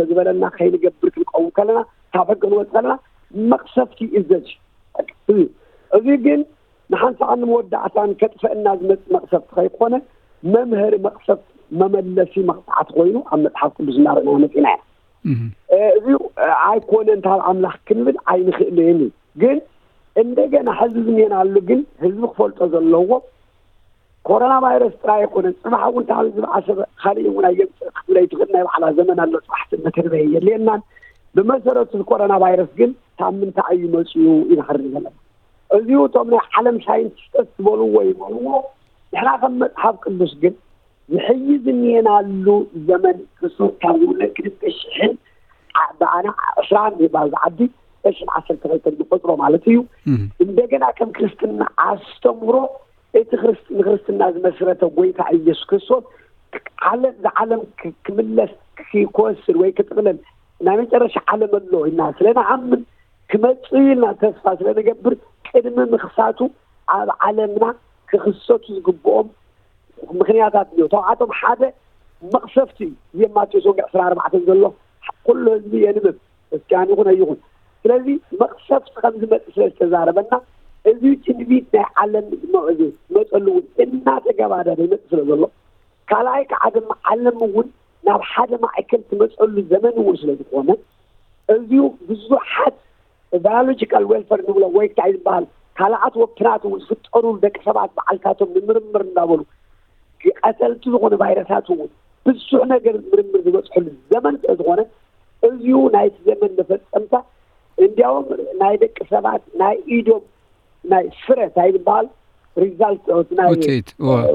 ዝበለና ከይንገብር ክንቀውም ከለና ካብ ሕጊ ክንወፅ ከለና መቕሰፍቲ ይእዘዝ እዩ። እዚ ግን ንሓንሳእን መወዳእታን ከጥፈእና ዝመፅእ መቕሰፍቲ ከይኮነ መምሀሪ መቕሰፍቲ መመለሲ መቕፃዕቲ ኮይኑ ኣብ መፅሓፍ ቅዱስ እናረእና መፂና ኢና። እዚ ኣይኮነን ካብ ኣምላኽ ክንብል ኣይንኽእልን እዩ። ግን እንደገና ሕዚ ዝኔናሉ ግን ህዝቢ ክፈልጦ ዘለዎ ኮሮና ቫይረስ ጥራይ ኣይኮነን። ፅባሕ እውን ካብ ዝበዓሰ ካልእ እውን ኣየምፅእ ክትብል ኣይትኽእል። ናይ ባዕላ ዘመን ኣሎ። ፅባሕ መተንበየ የድልየናን። ብመሰረቱ ኮሮና ቫይረስ ግን ካብ ምንታይ እዩ መፅኡ ኢና ክርኢ ዘለና። እዚኡ እቶም ናይ ዓለም ሳይንቲስቶች ዝበልዎ ይበልዎ። ንሕና ከም መፅሓፍ ቅዱስ ግን ዝሕይ ዝኒየናሉ ዘመን ክርስቶስ ካብ ዝውለድ ክልተ ሽሕን ብኣና ዕስራን ይባል ዝዓዲ ዕስራን ዓሰርተ ክልተ ንቆፅሮ ማለት እዩ። እንደገና ከም ክርስትና ኣስተምሮ እቲ ንክርስትና ዝመስረተ ጎይታ ኢየሱስ ክርስቶስ ዓለም ዝዓለም ክምለስ ክወስድ ወይ ክጥቕለል ናይ መጨረሻ ዓለም ኣሎ ኢልና ስለ ንኣምን ክመፅእ ኢልና ተስፋ ስለ ንገብር ቅድሚ ምኽሳቱ ኣብ ዓለምና ክኽሰቱ ዝግብኦም ምኽንያታት እዮ። ካብኣቶም ሓደ መቕሰፍቲ እዩ። እዚ ማቴዎስ ወንጌል ዕስራ ኣርባዕተን ዘሎ ኩሉ ህዝቢ የንብብ እስኪ ኣን ይኹን ኣይኹን። ስለዚ መቕሰፍቲ ከም ዝመፅእ ስለ ዝተዛረበና እዚ ትንቢት ናይ ዓለም ዝመፀሉ እውን እናተገባደደ ይመፅእ ስለ ዘሎ ካልኣይ ከዓ ድማ ዓለም እውን ናብ ሓደ ማእከል ትመፀሉ ዘመን እውን ስለ ዝኾነ እዚኡ ብዙሓት ባዮሎጂካል ዌልፈር ንብሎ ወይ እንታይ ዝበሃል ካልኣት ወፍትናት እውን ዝፍጠሩ ደቂ ሰባት በዓልታቶም ንምርምር እንዳበሉ ቀተልቲ ዝኾኑ ቫይረሳት እውን ብዙሕ ነገር ምርምር ዝበፅሐሉ ዘመን ስለ ዝኾነ እዚኡ ናይቲ ዘመን መፈፀምታ እንዲያውም ናይ ደቂ ሰባት ናይ ኢዶም ናይ ፍረ እንታይ ዝበሃል ሪዛልት ናይ ውፅኢት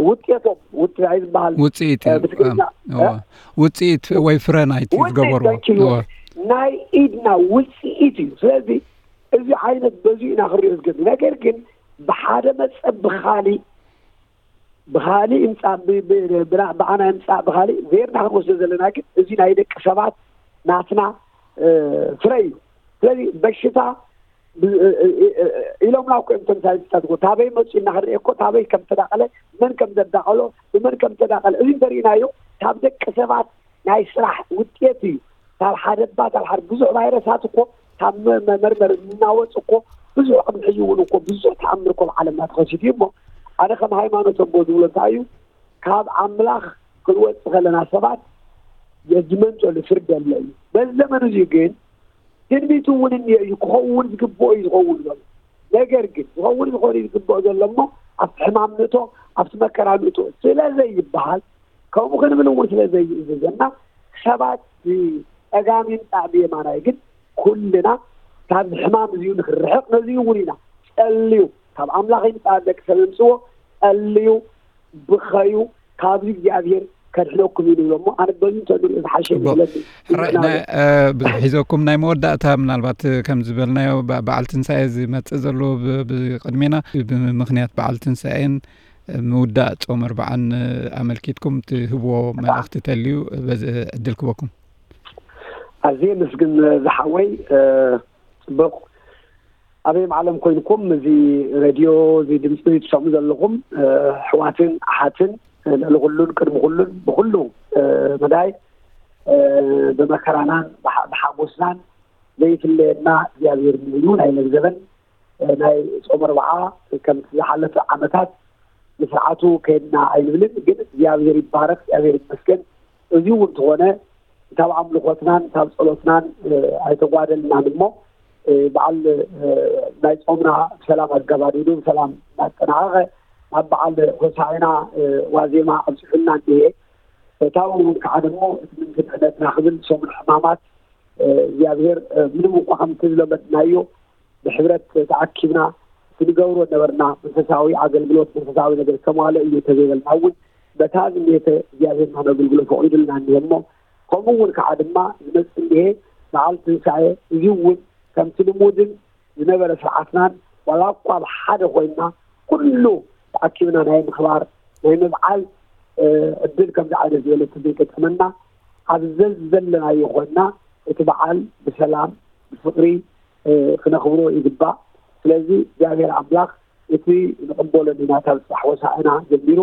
ውጤቶም ውፅኢት ዝበሃል ውፅኢት እዩ። ብትግርኛ ውፅኢት ወይ ፍረ ናይቲ ዝገበርዎ ናይ ኢድና ውፅኢት እዩ። ስለዚ እዚ ዓይነት በዚ ኢና ክሪኦ ዝገብ ነገር ግን ብሓደ መፀ ብካሊእ ብካሊእ ይምፃእ ብኣና ይምፃእ ብካሊእ ዜርና ክንወስዶ ዘለና ግን እዚ ናይ ደቂ ሰባት ናትና ፍረ እዩ። ስለዚ በሽታ ኢሎምና እኮ እዮም ተምሳሌታት እኮ ታበይ መፂኡ እናክንርኢ እኮ ታበይ ከም ተዳቀለ መን ከም ዘዳቀሎ ብመን ከም ተዳቀለ እዚ እንተሪእናዮ ካብ ደቂ ሰባት ናይ ስራሕ ውጤት እዩ። ካብ ሓደ ባ ካብ ሓደ ብዙሕ ቫይረሳት እኮ ካብ መመርመር እናወፅ እኮ ብዙሕ ቅድሚ ሕዚ እውን እኮ ብዙሕ ተኣምር እኮ ብዓለምና ተኸሲቱ እዩ። እሞ ኣነ ከም ሃይማኖት ኣቦ ዝብሎ እንታይ እዩ ካብ ኣምላኽ ክንወፅ ከለና ሰባት ጀጅመንት ዘሎ ፍርድ ኣሎ እዩ። በዚ ዘመን እዚ ግን ትንቢት እውን እኒኦ እዩ ክኸውን ዝግብኦ እዩ ዝኸውን ዘሎ። ነገር ግን ዝኸውን ዝኮነ እዩ ዝግብኦ ዘሎ እሞ ኣብቲ ሕማም ንእቶ ኣብቲ መከራ ንእቶ ስለ ዘይበሃል ከምኡ ክንብል እውን ስለ ዘይእዝዘና ሰባት ብፀጋም ይምፃእ ብየማናይ ግን ኩልና ካብዚ ሕማም እዚዩ ንክርሕቅ ነዚዩ እውን ኢና ጸልዩ ካብ ኣምላኽ ይምፃእ ደቂ ሰብ ይምፅዎ ጸልዩ ብኸዩ ካብዚ እግዚኣብሔር ከድሕነኩም እዩ ንብሎ እሞ ኣነ በዚ እንተንሪኦ ዝሓሸ ይመስለኒ። ሕራይ ናይ ብዙሕ ሒዘኩም ናይ መወዳእታ ምናልባት ከም ዝበልናዮ በዓል ትንሳኤ ዝመፅእ ዘሎ ብቅድሜና ብምክንያት በዓል ትንሳኤን ምውዳእ ፆም ኣርባዓን ኣመልኪትኩም ትህብዎ መልእኽቲ ተልዩ በዚ ዕድል ክበኩም። ኣዝየ ምስግን ዝሓወይ ጽቡቕ ኣበይ ዓለም ኮይንኩም እዚ ሬድዮ እዚ ድምፂ ትሰምዑ ዘለኹም ኣሕዋትን ኣሓትን ልዕሊ ኩሉን ቅድሚ ኩሉን ብኩሉ መዳይ ብመከራናን ብሓጎስናን ዘይፍለየና እግዚኣብሔር እዩ። ናይ መግዘበን ናይ ጾም ኣርብዓ ከምቲ ዝሓለፈ ዓመታት ብስርዓቱ ከይድና ኣይንብልን፣ ግን እግዚኣብሔር ይባረክ፣ እግዚኣብሔር ይመስገን። እዚ እውን እንተኾነ ካብ ኣምልኾትናን ካብ ጸሎትናን ኣይተጓደልናን እሞ፣ በዓል ናይ ጾምና ብሰላም ኣገባዲዱ ብሰላም እናጠናቐቐ ናብ በዓል ሆሳዕና ዋዜማ ኣብፅሑና እንድየ። ካብኡ እውን ከዓ ደሞ እቲ ምንክድዕነትና ክብል ሰሙን ሕማማት እግዚኣብሔር ምንም እኳ ከምቲ ዝለመድናዮ ብሕብረት ተኣኪብና ክንገብሮ ነበርና። መንፈሳዊ ኣገልግሎት መንፈሳዊ ነገር ከማለ እዩ ተዘይበልና እውን በታ ዝኔተ እግዚኣብሔር ነገልግሎ ፈቒዱልና እኒሀ እሞ፣ ከምኡ እውን ከዓ ድማ ዝመፅ እኒሀ በዓል ትንሳኤ። እዚ እውን ከምቲ ልሙድን ዝነበረ ስርዓትናን ዋላ እኳ ብሓደ ኮይንና ኩሉ ተኣኪብና ናይ ምኽባር ናይ ምብዓል ዕድል ከምዚ ዓይነት ዝበለ ዘይገጠመና፣ ኣብ ዘዘለናዮ ኮይንና እቲ በዓል ብሰላም ብፍቕሪ ክነኽብሮ ይግባእ። ስለዚ እግዚኣብሔር ኣምላኽ እቲ ንቕበሎ ዲና ካብ ፅባሕ ወሳእና ጀሚሩ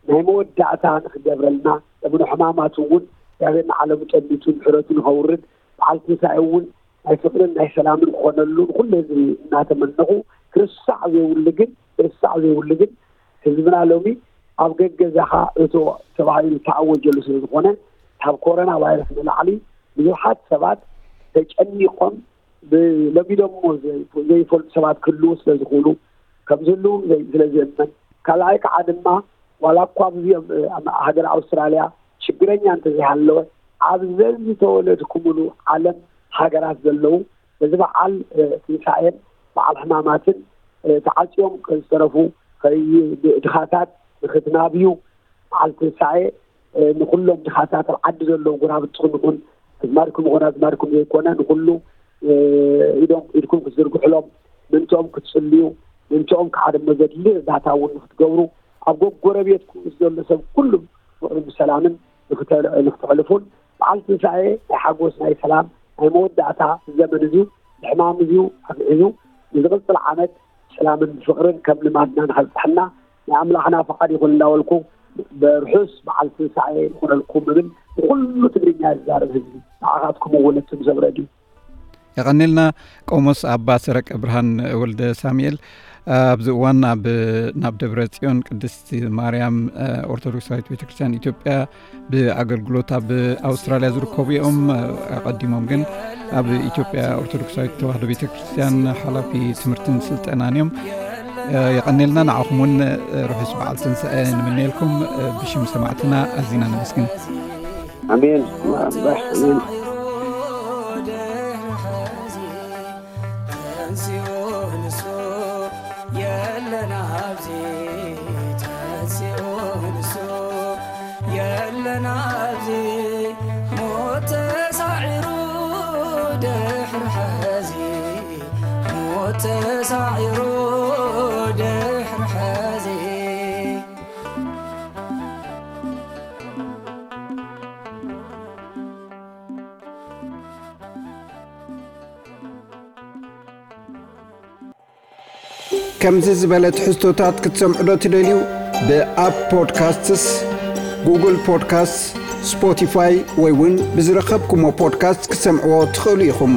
ናይ መወዳእታ ንክገብረልና፣ ለምኖ ሕማማት እውን እግዚኣብሔር ንዓለሙ ጠሚቱ ምሕረቱ ንኸውርድ፣ በዓል ትንሳኤ እውን ናይ ፍቕርን ናይ ሰላምን ክኾነሉ ንኩሉ ህዝቢ እናተመነኹ፣ ክርሳዕ ዘይብሉ ግን ክርሳዕ ዘይብሉ ግን ህዝብና ሎሚ ኣብ ገገዛኻ እቶ ተባሂሉ ተኣወጀሉ ስለ ዝኾነ፣ ካብ ኮሮና ቫይረስ ንላዕሊ ብዙሓት ሰባት ተጨኒቆም ብለሚዶሞ ዘይፈልጡ ሰባት ክህልዉ ስለ ዝኽእሉ፣ ከም ዝህልዉ ስለ ዝእመን፣ ካልኣይ ከዓ ድማ ዋላ እኳ ኣብዚኦም ሃገር ኣውስትራልያ ሽግረኛ እንተዘይሃለወ፣ ኣብ ዘዝተወለድኩምሉ ዓለም ሃገራት ዘለዉ በዚ በዓል ትንሳኤን በዓል ሕማማትን ተዓፅዮም ዝተረፉ ድኻታት ንክትናብዩ፣ በዓል ትንሳኤ ንኩሎም ድኻታት ኣብ ዓዲ ዘለዉ ጎራብትኹም ይኹን ኣዝማድኩም ይኹን ኣዝማድኩም ዘይኮነ ንኩሉ ኢዶም ኢድኩም ክትዝርግሕሎም፣ ምእንትኦም ክትፅልዩ፣ ምእንትኦም ከዓ ድማ ዘድሊ እርዳታ እውን ንክትገብሩ፣ ኣብ ጎረቤትኩም ምስ ዘሎ ሰብ ኩሉ ፍቕርን ብሰላምን ንክተሕልፉን፣ በዓል ትንሳኤ ናይ ሓጎስ ናይ ሰላም ናይ መወዳእታ ዘመን እዚ ብሕማም እዚ ኣግዒዙ ንዝቕፅል ዓመት ሰላምን ፍቕርን ከም ልማድና ንኸብፅሐና ናይ ኣምላኽና ፍቓድ ይኹን እንዳበልኩ፣ ብርሑስ በዓል ትንሳኤ ይኹነልኩም እብል ንኹሉ ትግርኛ ዝዛረብ ህዝቢ፣ ንዓኻትኩም እውን እትም ሰብ ረድዩ። የቐኔልና። ቆሞስ ኣባ ሰረቀ ብርሃን ወልደ ሳሙኤል ኣብዚ እዋን ኣብ ናብ ደብረ ጽዮን ቅድስቲ ማርያም ኦርቶዶክሳዊት ቤተክርስትያን ኢትዮጵያ ብኣገልግሎት ኣብ ኣውስትራልያ ዝርከቡ እዮም። ኣቐዲሞም ግን ኣብ ኢትዮጵያ ኦርቶዶክሳዊት ተዋህዶ ቤተክርስትያን ሓላፊ ትምህርትን ስልጠናን እዮም። የቐኔልና። ንዓኹም እውን ርሑስ በዓል ትንሳኤ ንምነየልኩም ብሽም ሰማዕትና ኣዚና ነመስግን። ኣሜን። ኣሜን። ተንሲኡ ንሱ የለን ኣብዚ፣ ተንሲኡ ንሱ የለን ኣብዚ፣ ሞት ተሳዒሩ ድሕሪ ሕዚ፣ ሞት ተሳዒሩ ድሕሪ ሕዚ። ከምዚ ዝበለ ትሕዝቶታት ክትሰምዑ ዶ ትደልዩ? ብኣፕ ፖድካስትስ፣ ጉግል ፖድካስትስ፣ ስፖቲፋይ ወይ እውን ብዝረኸብኩሞ ፖድካስት ክትሰምዕዎ ትኽእሉ ኢኹም።